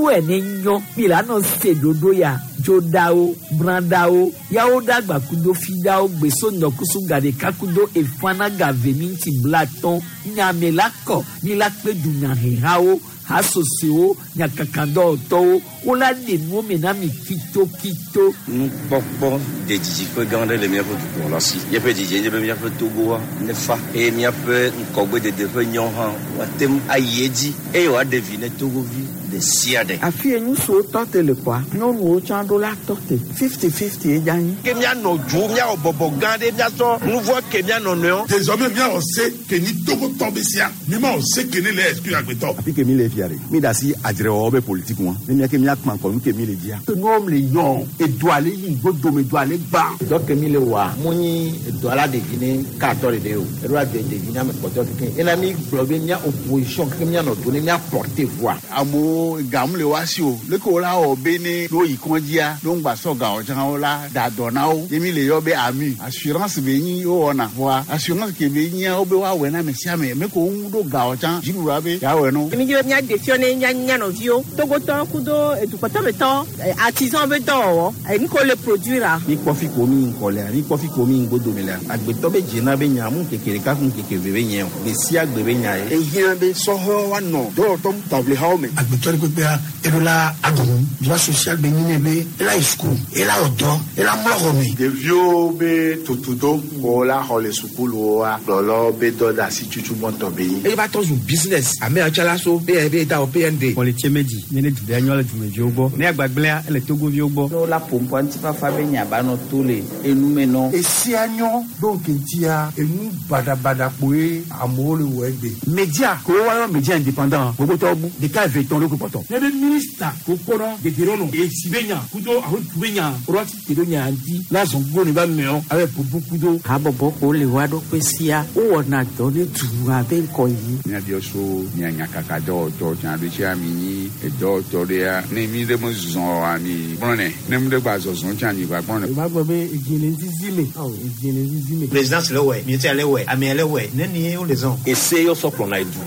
Mi wɛ ne nyɔ mi la nɔ se ɖoɖo ya dzoɖawo brãɖawo yawo ɖagba kudo fiɖawo gbeso ŋdɔkusu gaɖeka kudo efana gave minti blatɔn nyame la kɔ mi la kpe dunyahehawo hasosewo nyakakadɔwɔtɔwo wola ɖe nuwo me na mi kitokito. Nukpɔkpɔ de dzidziƒe gã aɖe le míaƒe dukplɔla si. Míaƒe dzidzie nye be míaƒe Togoa nefa eye míaƒe ŋgɔgbedede ƒe nyɔ hã woate ŋu ayi edzi eye wòaɖe vi ne Togovi ɖe sia ɖe. Afi ye ŋutsuwo tɔ te le kɔa, nyɔnuwo tsã ɖo la tɔ te. 50-50 ye dza nyi. Ke míanɔ dzo, míawɔ bɔbɔ gã ɖe, míatsɔ nu vɔ̃ ke mía nɔnɔewo. Désormais míawɔ se ke nyi Togotɔ be sia, mímawɔ se ke ne le exclure agbetɔ. Afi ke mi le fia ɖe, mi da asi adzrewɔwɔ be politique ŋua, ne mía ke míakpã ŋkɔ nu ke mi le dzia. Nuwo le yɔ, edoa le yi ŋgodome, doa le gbã. Dɔ ke mi le wɔa, mu nyi edoa la ɖevi ne katɔ ɖeɖe o. Eɖo adze ɖevi ne ame kpɔtɔe kekeŋ. Ena mi gblɔ be mía opposition keke míanɔ do ne mía porter voix. Amewo gam le woa si o. Leke wo la wɔ be ne ne woyi kɔdzia, ne woŋgba sɔ ga o tsã wo la da dɔ na wo. Ye mi le yɔ be AMU. Assurance be nyi wowɔna. Vɔa assurance ke be nyia wo be woawɔe na ame sia ame. Me ko wo ɖo ga o tsã dziɖuɖua be yeawɔe no. Mi dzi be míaɖe fiɔ ne mía mía nɔviwo. Togotɔ kudo edukpɔtɔmetɔ artisan be dɔwɔwɔ. Nu ke wole produire a. Mi kpɔ fi ko mi ŋkɔ lea, mi kpɔ fi ko mi ŋgodome lea. Agbetɔ be dzena be nya mu ŋkeke ɖeka ku ŋkeke eve be nye o. Gbe sia gbe be nya ye. Ehiã be sɔhɛwo woanɔ dɔwɔtɔ taʋlihawo me. Agbetɔ ɖe kpekpea eɖo la aɖu droit social be nyi nɛ be ela yi suku, ela wɔ dɔ, ela mlɔ xɔ me. Ɖeviwo be tutudo ko la xɔ le sukuluwoa, kplɔlawo be dɔ de asi tutu gbɔntɔ be nyi. Eye va trɔ zu business ame yawo tsã la so be da wɔ PND. Kpɔlitse medzi nye ne du ɖe nyɔ le dumeviwo gbɔ. Ne agbagblẽa ele Togoviwo gbɔ. Ne wola ƒo ŋkɔ ŋutifafa be nya ba nɔ to le enume nɔ. Esia nyɔ ɖo ŋkeŋtia enu baɖabaɖa kpoe amewo le wɔ egbe. Media ko woayɔ media indépendant gbogbotɔwo bu ɖeka eve tɔn ɖo kpɔtɔ. Ne be minista ko kpɔnɔ dedienɔnɔ etsi be nya kudo alo du be nya ɖo ati te ɖo nya ŋuti la zɔn go ne ba meɔ abe bubu kudo. Habɔbɔ ko le woa ɖokui sia wowɔna dɔ ne dua be ŋkɔ yi. Míabiɔ so mía nyakaka dɔwɔtɔ tsã ɖo tsia mi nyi edɔwɔtɔ ɖea ne mi ɖe me zɔ oa mi gblɔnɛ ne mi ɖe gba zɔzɔ tsã mi gba gblɔnɛ. O b'a gbɔ be edzi le zizi me. Awɔ edzi le zizi me. Présidence le wɛ, ministère le wɛ, amea le wɛ, ne ni wo le zɔn. Ese yɔ sɔ kplɔna edu.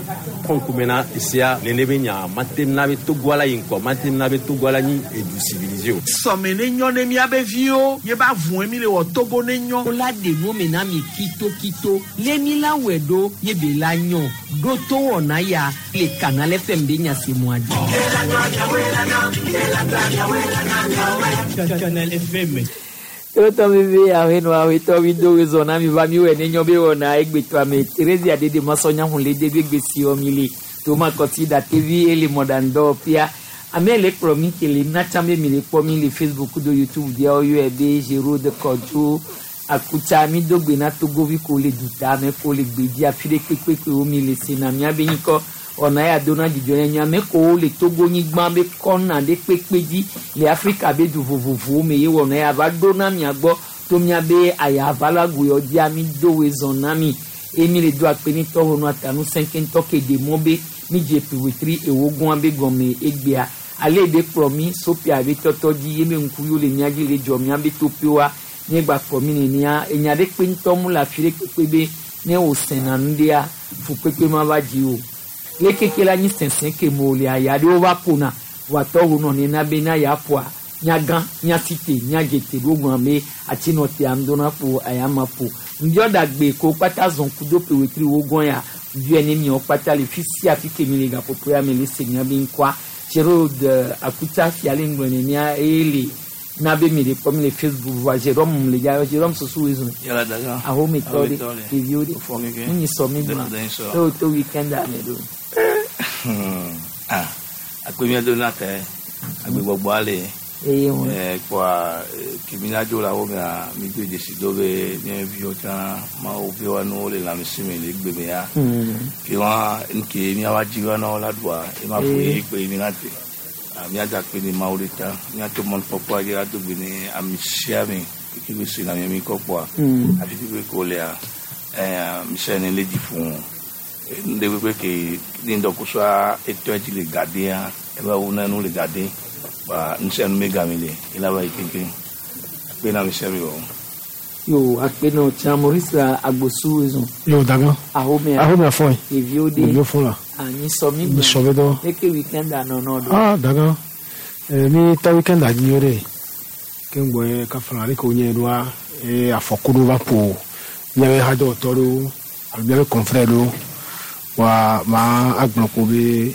Kɔ ŋkume na esea nene be nya mate na be Togoa la yi ŋkɔ, mate na be Togoa la nyi edu civilisé o. Sɔme ne nyɔ ne míabe viwo, ye ba vɔe mi le wɔ Togo ne nyɔ. Wola ɖe nuwo me na mi kitokito. Le mi la wɔe ɖo ye be la nyɔ. Ɖo to wɔna ya le Canal FM be nya se mɔa dzi. Canal FM. Tɔtɔ veve ahenɔ awetɔ mi do wezɔ na mi va mi wɔ ne nyɔ be wɔna egbetɔa me Theresia dede masɔnya hun le de be gbesi wɔ mi le toma kɔti datevi ele mɔɖaŋdɔwɔƒea. Ame le kplɔ mi ke le natsã be mi le kpɔ mi le Facebook do YouTube dzia woyɔe be Gerode Kɔdzo Akutsa mi do gbe na Togovi ko le duta ame ko le gbedzi afi ɖe kpekpekpe wo mi le sena miabe ŋkɔ wɔna ya do na dzidzɔ ne ame ko le Togonyigba be kɔna ɖe kpekpe dzi le Afrika be du vovovowo me ye wɔna ya va ɖo na mia gbɔ to miabe ayavalagoyɔ dzia mi do wezɔ na mi eye mi le do akpe ne tɔwo nu atanu sɛnkɛntɔ ke ɖe mɔ be mi dze ƒewetri ewo gɔ̃a be gɔme egbea ale be kplɔ mi sopia be tɔtɔ dzi ye be ŋkuviwo le mia dzi le dzɔ mia be toƒewoa míegba kplɔ mi nenea enya ɖe kpe ŋutɔ mu le afi ɖe kpekpe be ne wòsẽna nu ɖea fukpekpe ma va dzi o le keke la nyi sɛsẽ ke me wòle aya ɖewo va ƒona wòatɔ wo nɔ nena be na ya ƒoa nyagã nyasite nyadzete ɖo gblɔ be atsinɔtea ŋdɔna ƒo aya ma ƒo ŋdiɔ ɖagbe ko kpata zɔn kudo ƒewetri wo gɔn ya ŋdiɔ ne miawo kpata le fi sia fi ke mi le gaƒoƒo ya me le se mia be ŋkɔa Gerode Akutsa fia le ŋgɔ nenea eye le na be mi le kpɔ mi le Facebook voa Jérôme le ya Jérôme susu wezun Yala daga. ahometɔ ɖe Ahometɔ ɖe. ɖeviwo ɖe Wofɔ keke. nu nyi sɔ mi gblɔ Den sɔ. eye woto weekend a me ɖo. Ah, akpe mía do na tɛ. Agbe gbɔgbɔ ale. Eye ŋu. Kpɔa ke mi na dzo le awo mea mi do dzesi do be mía viwo tsã mawo viwo nu le lãmesẽ me le egbe me ya. Ke wa nke míava dzi va na wo la ɖua ema ƒo ye kpe mi na te. Ah, míada akpe ne Mawu ɖe ta. Míato mɔnukpɔkpɔa dzi ado gbe ne ame sia ame keke be se na mía mi kɔ kpɔa. Afi kpekpe ko lea, mise ne le dzi ƒo. Nu ɖe kpekpe ke ne ŋdɔkusua etɔe dzi le gadea, eva wu na nu le gade. Ba nu sia nu me game le, ela va yi keŋkeŋ. Akpe na ame sia ame o. Yo akpe nɔ tsã Maurice Agbosu wezun. Yo daga. Ahomea. Ahomea fɔ ye. Ɖeviwo ɖe. Ɖeviwo fɔ la. Anyi sɔ mi Nyi sɔ be dɔ. Eke weekend a nɔnɔ ɖo. Ah daga. Mi tɔ weekend dzi yɔ ɖe. Ke ŋgbɔ ye kafla ale ke wonye ɖoa eye afɔku ɖewo va ƒo míaƒe hadɔwɔtɔ ɖewo alo míaƒe confrère ɖewo. Wa ma agblɔ ko be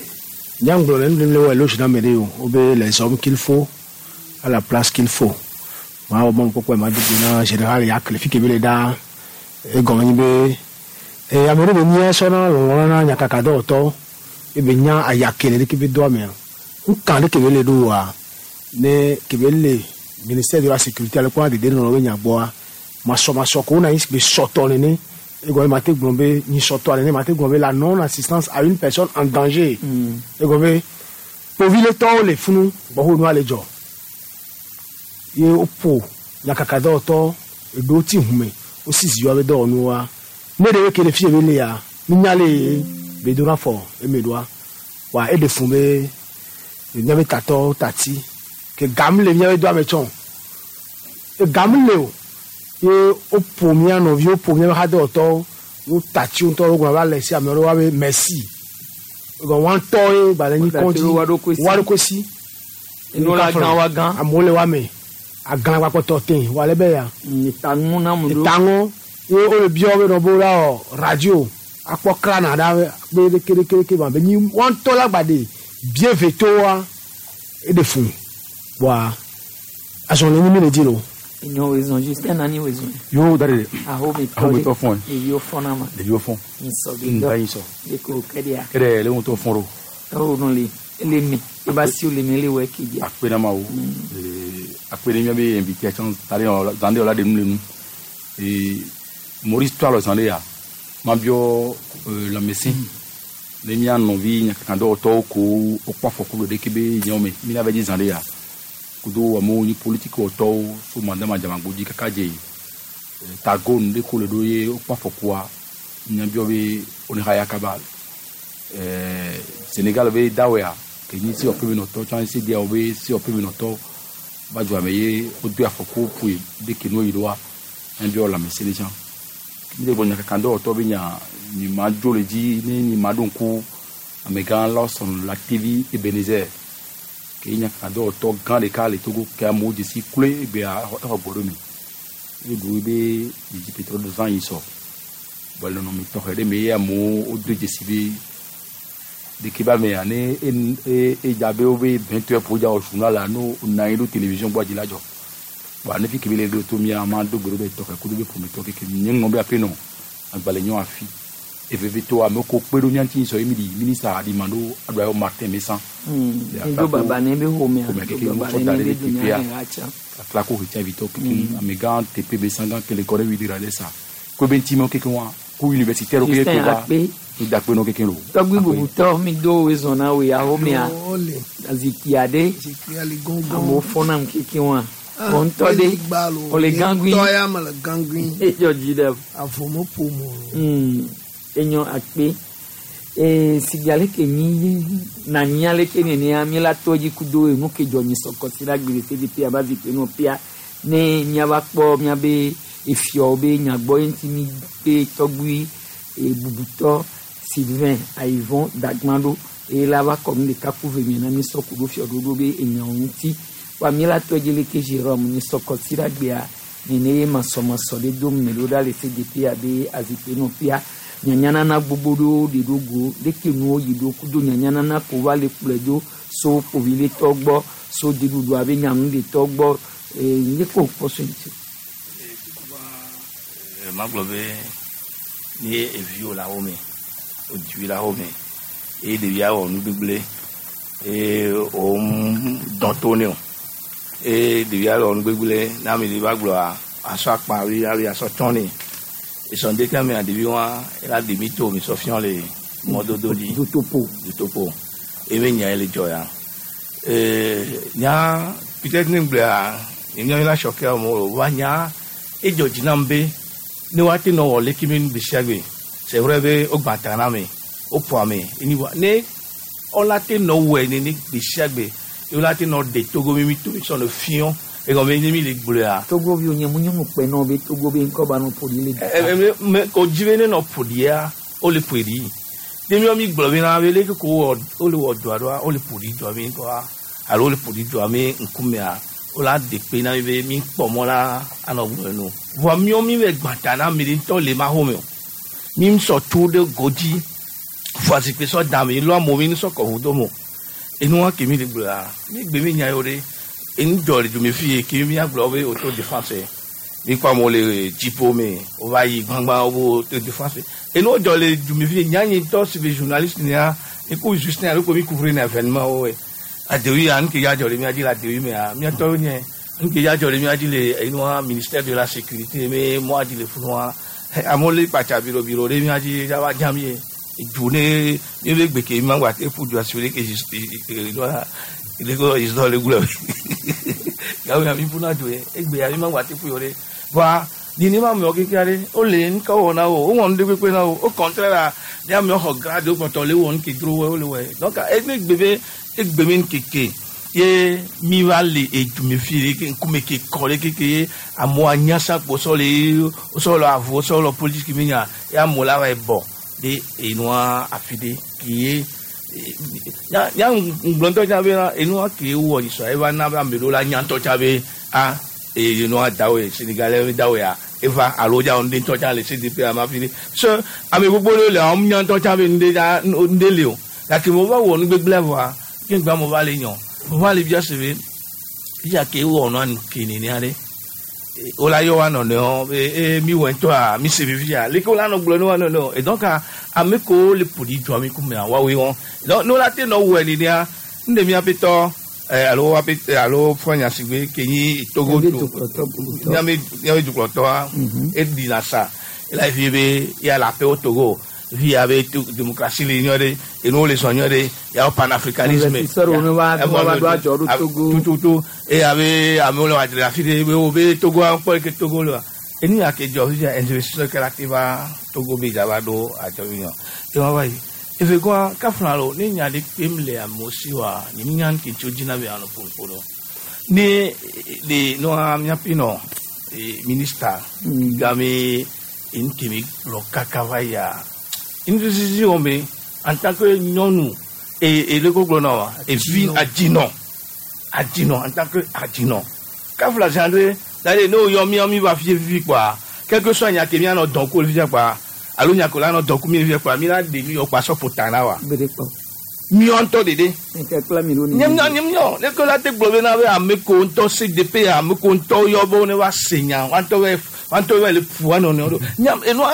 nyaŋgblɔ le nu le wɔ éloge na ame ɖe o. Wobe les hommes qu'il faut à la place qu'il faut. Ma wɔ mɔnukpɔkpɔ ma do go na général Yak le fi ke be le ɖaa. Egɔme nyi be ame ɖe be mía sɔna lɔlɔ na nyakakadɔwɔtɔwo ebe nya ayake le ɖeke be doa mea. Ŋka ɖe ke be le ɖo wa ne ke be le ministère de la sécurité ale kpɔna dede nɔnɔ be nya gbɔa masɔmasɔ ko wona yi be sɔtɔ nene egɔme ma te gblɔ be nyi sɔtɔ nene ma te gblɔ be la non assistance à une personne en danger. Egɔme kpoviletɔwo le funu gbɔho nua le dzɔ ye woƒo nyakakadɔwɔtɔ eɖewo ti hume wosi zi woabe dɔwɔnuwoa ne ɖewo ke le fi be le ya nunya le be dona fɔ eme ɖoa wa eɖe fun be míabe tatɔwo tati ke gam le míabe doa me tsɔ gam le o ye woƒo mía nɔviwo ƒo míabe hadɔwɔtɔwo wo tati ŋutɔ wo gblɔ va le si ame ɖewo woabe merci egɔ wɔn tɔ ye gbalẽ nyi kɔndzi wa ɖokui si Enu la gã wa gã. Amewo le wa me agã gbakpɔtɔ te wa le be ya etaŋu na mu ɖo etaŋu ye wo le biɔ be nɔ bo la wɔ radio akpɔ klana ɖa be ɖeke ɖeke ɖeke ma be nyi wɔn tɔ la gba de bie veto wa eɖe fun wa azɔli nyi mi le di lo. Enyo wezɔn Justin nani wezɔn. Yo da de. Ahometɔ Ahometɔ fɔn. Ɖeviwo fɔna ma. Ɖeviwo fɔn. Nsɔ Mm, bi da yin sɔ. Eko kɛɖia. Kɛɖɛ le ŋutɔ fɔn ɖo. Ewo nu le ele mi eba si le mi le wɔ eke dia. Akpe na ma wo. Akpe ne miabe invité tsã ta ɖe yɔ zan ɖe yɔ la ɖe nu le nu. Maurice to alɔ zan ɖe ya. Ma biɔ lãmesẽ. Ne mía nɔvi nyakakadɔwɔtɔwo ko wokpɔ afɔku le ɖeke be nyawo me. Mi la va dzi zan ɖe ya. Kudo amewo nyi politiki wɔtɔwo so madama dzamagbo dzi kaka dze tago nu ɖe ko le ɖo ye wokpɔ afɔkua. Nya biɔ be wone xa ya kaba. Sénégal be dawɔa ke nyi sewɔƒe me nɔtɔ tsã CEDEAO be sewɔƒe me nɔtɔ va dua me ye wodo afɔku ƒoe ɖe ke nu yi ɖoa nya biɔ lãmesẽ ɖe tsã. Mi le gbɔ nyakakadɔwɔtɔ be nya mi ma dzo le dzi ne mi ma ɖo ŋku amegã Lawson Latévi Ebenezer ke ye nyakakadɔwɔtɔ gã ɖeka le Togo ke amewo dzesi kloe egbea exɔ gbɔ ɖo me. Eɖu be dzidzi pétrole zã yi sɔ. Bɔn le nɔnɔme tɔxɛ ɖe me ye amewo wodo dzesi be ɖeke ba mea ne e edza be wobe 20 heures ƒo dza wɔ journal la no na anyi ɖo télévision gbɔ dzi la dzɔ. Bɔn ne fi ke be le ɖo to mía ma do gbe ɖo be tɔxɛ kudo be ƒometɔ keke nye ŋlɔ be aƒe nɔ agbalẽ nyɔ afi. Eveve to amewo ko kpe ɖo mía ŋuti sɔ ye mi ɖi ministre aɖima ɖo aɖo ayɔ Martin Messan. Edo baba ne be xɔmea. Xɔmea keke Do baba ŋutsɔ ne da ɖe be ɖe teƒea. dunya hã tsã. Atla ko ɣetia vitɔ keke amegã teƒe be sãgã kele kɔ ɖe wi ɖe sa. Ko be ŋuti mewo keke wa ku universitaire wo keke Justin ko va. Akpe. Mi da akpe nɔ keke lo. Tɔgbi bubutɔ mi do wezɔn na wo ahomea. Ole. Zikpui aɖe. Zikpuia li gɔngɔn. Amewo fɔna keke wa. Wɔntɔ de. Ole gangui. Tɔ ya me le gangui. Edzɔ dzi ɖe. Avɔ me ƒom o. Enyo akpe. Sigi ale ke nyi na nyi ale ke nenea mi la tɔ dzi kudo enu ke dzɔ nyi sɔkɔsi la gbe le CDP aba zikpui nɔ pia ne miava kpɔ miabe efiawo be nyagbɔ ye ŋuti mi be tɔgbui bubutɔ Sylvain Ayivon Dagman ɖo eye la va kɔ nu ɖeka ku ve mia na mi sɔ ku ɖo fiaɖoɖo be enyawo ŋuti wa mi la tɔ dzi leke Jérôme nyi sɔkɔsi la gbea nene ye masɔmasɔ ɖe do me ɖo ɖa le CDP abe azikpui nɔ pia nyanyanana gbogbo ɖewo ɖe ɖo go leke nuwo yi ɖo kudo nyanyanana ko va le kplɔe do so kpoviletɔ gbɔ so dziɖuɖu abe nyanuɖetɔ gbɔ nye ko kpɔ so ŋuti. Magblɔ be ne eviwo le awo me wodui le awo me eye ɖevia wɔ nu gbegblẽ eye wo dɔn to ne o eye ɖevia wɔ nu gbegblẽ ne ame ɖe va gblɔa asɔ akpa wi awi asɔ tsɔ ne esɔn ɖeka mea ɖevi wa ela ɖe mi to mi sɔ fiɔ le mɔdodo dzi dutopo dutopo eye nya ye le dzɔ ya nya peut-être ne gblɔa nye mi la sɔkɛ amewo wa nya edzɔ dzi nam be ne woate nɔ wɔ leke mi nu gbe sia gbe c'est vrai be wogbã ta na me woƒo ame eni wa ne ɔla te nɔ wɔe nene gbe sia gbe ye wola te nɔ ɖe togo mi mi to mi sɔ nɔ fiɔ egɔme ne mi le gblɔa. Togo vi wonye mu nyɔnu kpɛ nɔ be Togo be ŋkɔ ba nɔ ƒo ɖi le ɛ ɛ mɛ ko dzi be ne nɔ ƒo ɖia wole ƒoe ɖi ne mi mi gblɔ be na be leke ko wɔ wole wɔ dɔa ɖoa wole ƒo ɖi dɔa be ŋkɔa alo le ƒoɖi dua me ŋkumea wola de kpe na mi be mi kpɔ mɔ la anɔ gblɔ nu vɔa miɔ mi be gbãta na ame ɖe ŋutɔ le ma xɔ me o mi sɔ tso ɖe godzi fɔ zikpui sɔ da mi lɔ amewo mi sɔ kɔ ʋu do mo enua ke mi le gblɔa mi gbe mi nya yewo ɖe enu dzɔ le dome fi ye ke mi agblɔ be auto défense mi kpɔ amewo le dziƒo me wova yi gbangba wo auto défense enu dzɔ le dome fi ye nyanyi ŋutɔ si be journaliste nia mi ku Justin alo ko mi couvrir na événement wo adewi ya nuke ya dzɔ le mia dzi le adewi mea miatɔwo nye nuke ya dzɔ le mia dzi le enua ministère de la sécurité me mɔa dzi le funua amewo le kpatsa birobiro ɖe mia dzi ya va dzam ye du ne mi be gbeke mi ma gba te ƒu du asi ɖe ke enua le ko izɔ le gblɔ gawo ya mi ƒuna du ye egbe ya mi ma gba te ƒu yɔ ɖe va nini ma amewo keke aɖe wole nuka wɔ na wo wowɔ nu ɖe kpekpe na wo au contraire la ne amewo xɔ grade wo kpɔtɔ le wɔ nu ke dro wo le wɔe donc ene gbe be egbe me nkeke ye mi va le edume fi ɖe ke ŋkume ke kɔ ɖe keke ye amewo anyasa kpo sɔ le sɔ le avɔ sɔ le politique mi nya ye amewo la va yi bɔ ɖe enua afi ɖe ke ye nya nya ŋgblɔntɔ tsa be na enua ke wɔ nyisɔ eva na be ame ɖewo la nyantɔ tsa be a enua dawo ye Sénégalais dawo ya eva alo dza ŋɖe ŋutɔ tsa le CDP ama fi ɖe se ame gbogbo ɖewo le wɔm nyantɔ tsa be ŋɖe dza ŋɖe le o gake mo va wɔ nugbegblẽ vɔa ke ŋgba mo va le nyɔ mo va le bia se be fia ke wɔ nua ke nenea ɖe wola yɔ wa nɔnɔewo be ee mi wɔ ŋutɔa mi se vivia leke wola nɔ gblɔ ne wa nɔnɔewo et donc ame kewo le ƒo ɖi dua mi kumea woawoe wɔn donc ne wola te nɔ wɔe nenea ŋɖe miaƒetɔ alo woaƒe alo fɔ sigbe ke nyi Togo to miabe miabe dukplɔtɔa eɖina sa ela fi be ya le aƒewo Togo fi ya be démocratie le nyɔ ɖe enuwo le zɔ nyɔ ɖe ya panafricanisme Investisseur wo va va ɖo adzɔ ɖo Togo. Tututu eye abe amewo le wadzre afi ɖe be wo be Togo kpɔ ke Togo le wa enu ya ke dzɔ fifia investisseur ke la te va Togo be dza va ɖo adzɔ fi nyɔ ema va yi eve gɔa kafla lo ne nya ɖe kpem le amewo si wa nye mi nya ke tso dzina be anɔ ƒoƒo ɖo ne le nɔa miaƒe nɔ ministre game enu mi gblɔ kaka va yia nuzizi wɔ me en tant que nyɔnu e le ko gblɔ na wa evi adzinɔ adzinɔ en tant que adzinɔ kafla gendre c'est-à-dire ne woyɔ mía mi va fie fifi kpoa quel que soit nya ke mianɔ dɔn ko le fifia kpoa alo nya ko la nɔ dɔn ko mi le fifia kpoa mi la ɖe nu yɔ kpoa sɔ ƒo ta na wa Gbe ɖe kpɔ. miɔ ŋutɔ ɖeɖe Nke kple mi ɖo ni. nye miɔ nye miɔ ne ke la te gblɔ bena be ame ko ŋutɔ CDP ame ko ŋutɔ yɔ be ne va se nya wa ŋutɔ bɛ wa ŋutɔ bɛ le ƒu wa nɔnɔewo ɖo nya enua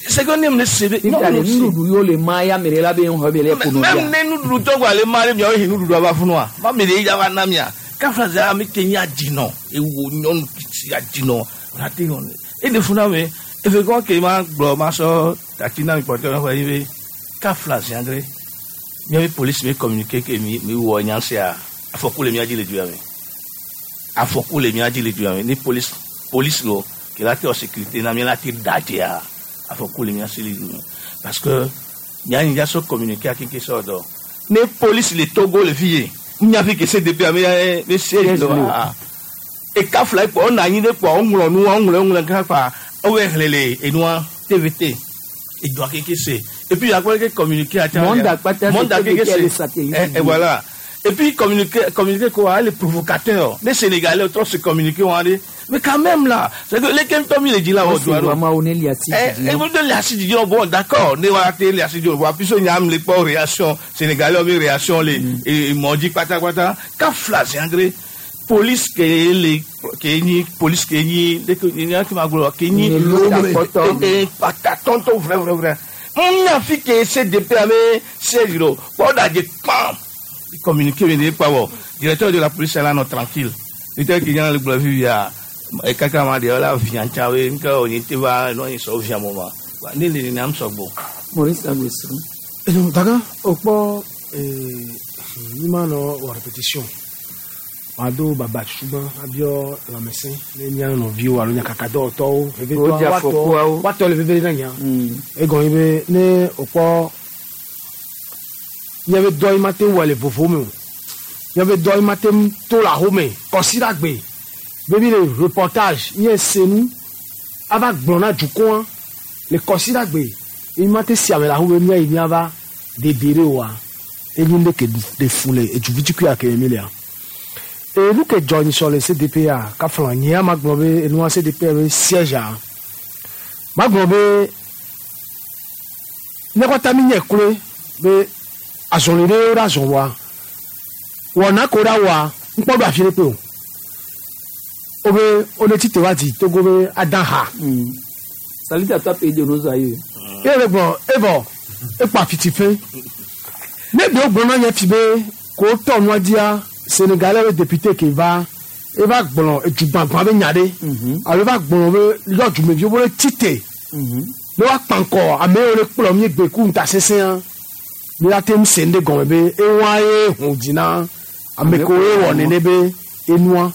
c'est que ne me se be Fifia le nuɖuɖu yiwo le ma ya ame ɖe la be ŋxɔ be le ƒo nɔ même bia. ne nuɖuɖu tɔgɔ ale ma ɖe miawo he nuɖuɖu ava funua ma mi ɖe ya va na mia kafla zia ame ke nye adzinɔ ewo nyɔnu tsi adzinɔ la te yɔ ne eɖe funa me efe kɔ ke ma gblɔ ma sɔ tati na mi kpɔtɔ xɔ yi be kafla zia ɖe miabe police mi communiqué ke mi mi wɔ nya sia afɔku le mia dzi le du ya me afɔku le mia dzi le du ya me ni police police lo ke la te wɔ sécurité na mi la te dadzea afɔku le mia si le du me parce que nyanyi dza sɔ communiqué akeke sɔ dɔ ne police le Togo le fi ye nya fi ke CDP ame ya be siège le wa eka fila kpɔ ɔna anyi ɖe kpɔ ɔŋlɔ nu ɔŋlɔ ɔŋlɔ kaka kpa ɔwɔ xlẽ le enua TVT edua keke se et puis akpɔ ke communiqué ati Monde akpata monde se akeke TVT le se satellite et voilà et puis communiqué communiqué quoi les provocateurs les Sénégalais trop se communiquer on allait mais quand même là c'est que les kemto mi le dit là Wọ́n au sì doigt wá máa wo ní ilé àti Eh, ìdílé. eh, vous de la di bon d'accord ne wa te la di wa puis nyam les pas réaction sénégalais mi réaction les et m'ont dit pata pata ka flash André police ke le ke ni police ke ni de ke ni ki ma glo ke ni eh pata tonton vrai vrai vrai on a fi ke CDP ame siège lo po da je pam communiquer mais pas bon directeur de la police là non tranquille directeur qui vient le glo via e kaka ma de la vian chawe nka oni te va no ni so vian mo ma ni le ni am so gbo Maurice Agbèsou. Daga o kpɔ mi ma nɔ wɔ répétition wàdo baba tutugbã abiɔ lãmesẽ ne mía nɔviwo alo nyakakadɔwɔtɔwo Wo dze afɔkuawo. woatɔ le veve ɖe na nya egɔme be ne wòkpɔ míabe dɔ yi ma te wɔ le vovo me o míabe dɔ yi ma te to le ahome kɔsiɖagbe be mi le reportage nye senu ava gblɔ na dukɔa le kɔsiɖagbe yi ma te si ame le ahome mía yi míava debere oa enyi ɖe ke ɖe fu le edzuvitukui ke mi lea. Enu ke dzɔ nyisɔ le CDPA kafla nyea ma gblɔ be enua CDPA be siège a ma gblɔ be ne kɔta mi nye kloe be azɔli ɖe wo ɖe azɔ wa wɔna ko ɖa wa ŋkpɔ ɖo afi ɖe kpe o wo be wo ne tite wa di Togo be adan ha. Salut à toi pays de nos aïeux. Eye le gblɔ evɔ ekpɔ afitife ne ɖewo gblɔ na nye fi be ko tɔ nua dzia Sénégalais be député ke va eva gblɔ edugbagbã be nya ɖe alo eva gblɔ be yɔ dumeviwo be tite ne woakpa ŋkɔ ame yiwo le kplɔ mi gbe ku ŋutasesẽa mi la te ŋu se nu ɖe gɔme be ewa ye ʋu dzi na ame kewo ye wɔ nene be enua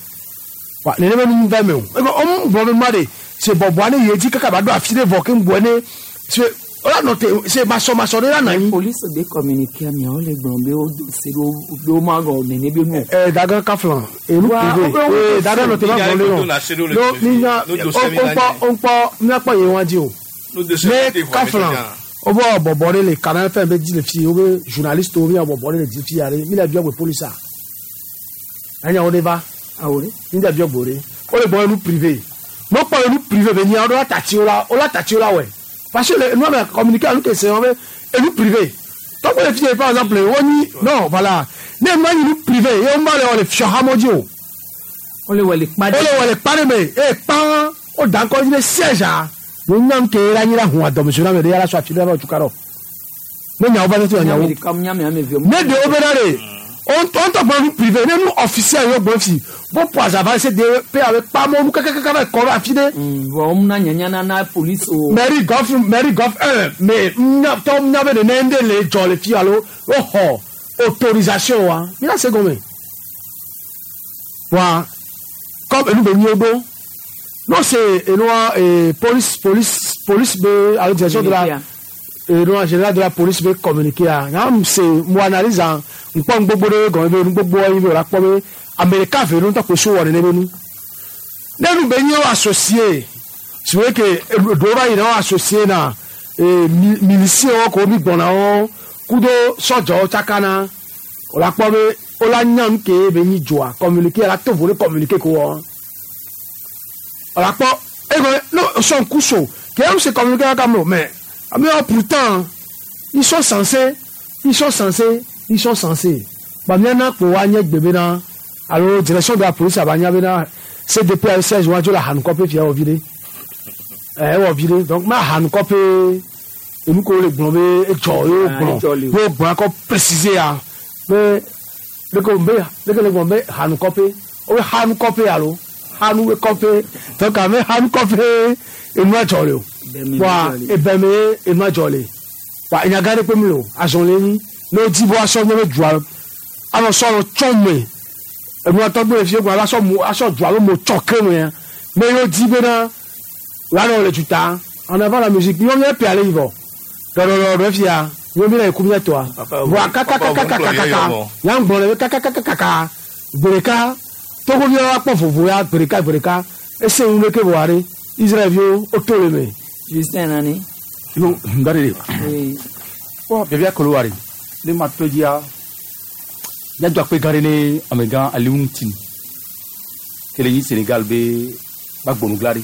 wa nene be nu va me o ebe ɔmu gblɔ be nua ɖe se bɔbɔa ne yi edzi kaka ba ɖo afi ɖe vɔ ke ŋgbɔ ne se wola nɔ te se masɔmasɔ ɖe la nɔ anyi. Police be communiqué ameawo le gblɔm be wo do se ɖo be wo ma gɔ nene be nu. Ɛ daga kaflan enu privé ee daga nɔ te ma gblɔ ɖe nɔ no mi nya o kpɔ o kpɔ miakpɔ ye wa dzi o ne kaflan o bɔ bɔbɔ ɖe le Canal FM be dzi le fi wo be journaliste wo mi bɔbɔ ɖe le dzi fi ya ɖe mi le biɔ gbe police a enya wo ɖe va awo ɖe mi le biɔ gbe ɖe wo le gbɔ enu privé no kpɔ enu privé be nya wo ɖo la tati wo la wo la tati wo la wɔe parce que le nua me communiqué anu ke se wɔn be enu privé tɔgbe le fi ye par exemple wo nyi non voilà ne nua nyi nu privé ye wo ma le wɔ le fiɔ hamo dzi o wo le wɔ le kpa ɖe wo le wɔ le kpa ɖe me eye kpa wo da ŋkɔ dzi ɖe siège a wo nya nu ke la nyi la hun adɔmɛsɔ na me ɖe yala sɔ afi ɖe la ba tuka ɖɔ ne nyawo va tete nyawo ne ɖewo bena ɖe wo ŋutɔ gblɔ nu privé ne nu officiel yɔ gblɔ fi bo po azava se de pe abe kpamɔ nu kakakaka va kɔ ɖo afi ɖe. Vɔ wɔm na nyanya na na police o. Mary Goff Mary Goff un mais nya tɔ nya be nene ŋɖe le dzɔ le fi alo woxɔ autorisation wa mi la se gɔme wa comme enu be nyi wo ɖo non c'est enua police police police be alo direction de la enua général de la police be communiqué a nya se mo analyse a ŋkpɔ ŋgbogbo ɖe gɔme be nugbogbo yi be wòle akpɔ be ame ɖeka ve ɖo ŋutɔ kpo so wɔ nene be nu ne nu be nyi wo associé si wo ke ɖewo va yina wo associé na miliciens ko mi gbɔna wo kudo sɔdzɔwo tsakana wòle akpɔ be wola nya nu ke be nyi dzoa communiqué la to vo ɖe communiqué ko wɔ wòle akpɔ egɔme no sɔn ku so ke enu se communiqué kaka mo mais amewo pourtant ils sont censés ils sont censés ils sont censés bamiana kpo wa nye gbe bena alo direction de la police abanya bena CDP a siège wa dzo le ahanukɔƒe fia wɔ vi ɖe ɛ ewɔ vi ɖe donc ma ahanukɔƒe enu ko le gblɔ be edzɔ ye wo gblɔ ye wo gblɔ akɔ préciser ya be leke be leke le gblɔ be hanukɔƒe wo be hanukɔƒe alo hanu kɔƒe donc ame hanukɔƒe enua dzɔ le o wa ebɛmɛ enua dzɔ le wa enyaga ɖe kpe mi le o azɔ le nyi ne wodi be woasɔ nye be dua anɔ sɔ nɔ tsɔ me enua tɔgbe le fie gblɔ asɔ mo asɔ dua alo mo tsɔ ke me ya me yewo di bena woanɔ le tuta en avant la musique nyɔ miɛ pe ale yi vɔ ɖɔɖɔɖɔ fia nyɔ mi le ku miɛ tɔa voa kakakakakaka nya gblɔ le be kakakakaka gbe ɖeka togoviwo akpɔ vovo ya gbe ɖeka gbe ɖeka ese ŋu ɖeke vɔa ɖe Israelviwo woto le me. Justin nani. Yo ndare de. Bɔn bɛɛ kolo wari ne ma to diya n y'a akpe gã ɖe ne amegã Alioune Tine kele nyi Sénégal be ba gbɔnugla ɖe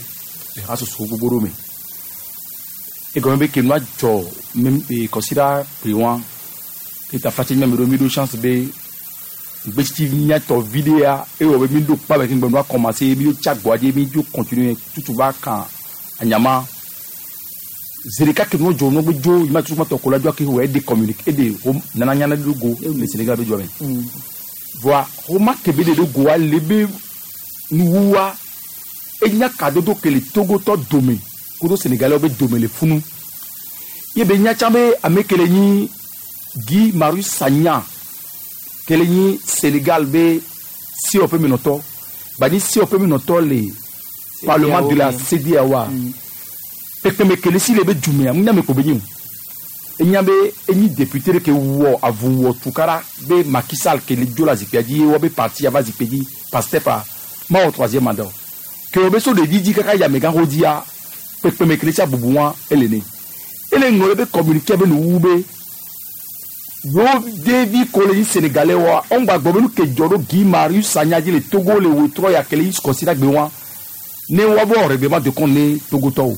le hasoso gbogbo ɖo me egɔme be ke nua dzɔ mem e kɔsiɖa kple ke tafatse nyame ɖo mi ɖo chance be gbetsi miatɔ vi ɖe ya ewɔ be mi ɖo kpa be keŋgbe nua commencer mi ɖo tsa gbɔa dzi mi dzo continuer tutu va kan anyama zereka ke nua dzɔ nua gbe dzo yi ma tutu ma tɔ ko la dzo ke wɔ ede communiqué ede ho nana nyana ɖo go le Sénégal be dzɔ me voa ho ma ke be de ɖo goa le be nuwuwa enya kadodo ke le Togotɔ dome kudo Sénégalais be dome le funu ye be nya tsã be ame ke le nyi Guy Marius Sagna ke le nyi Sénégal be COP menɔtɔ bani COP menɔtɔ le parlement de la CEDEAO pɛpɛmɛ kele si le be dumea ŋu nyame ko be nyi o enya be enyi député ɖe ke wɔ avu wɔ tukara be Macky Sall ke le dzo le zikpuia dzi ye wɔ be parti ava zikpui dzi Pastef a ma wɔ troisième mandat o ke wo be so ɖevi dzi kaka yi amegã xɔ dzia pɛpɛmɛ kele sia bubu wa ele ne ele ŋlɔ ɖe be communiqué be nuwu be Yo devi ko le nyi sénégalais wa on gba gbɔ be nu ke dzɔ ɖo Guy Marius Sagna dzi le Togo le wetrɔ ya ke le yi kɔsi gbe wa ne wa bɔ règlement de compte ne Togotɔwo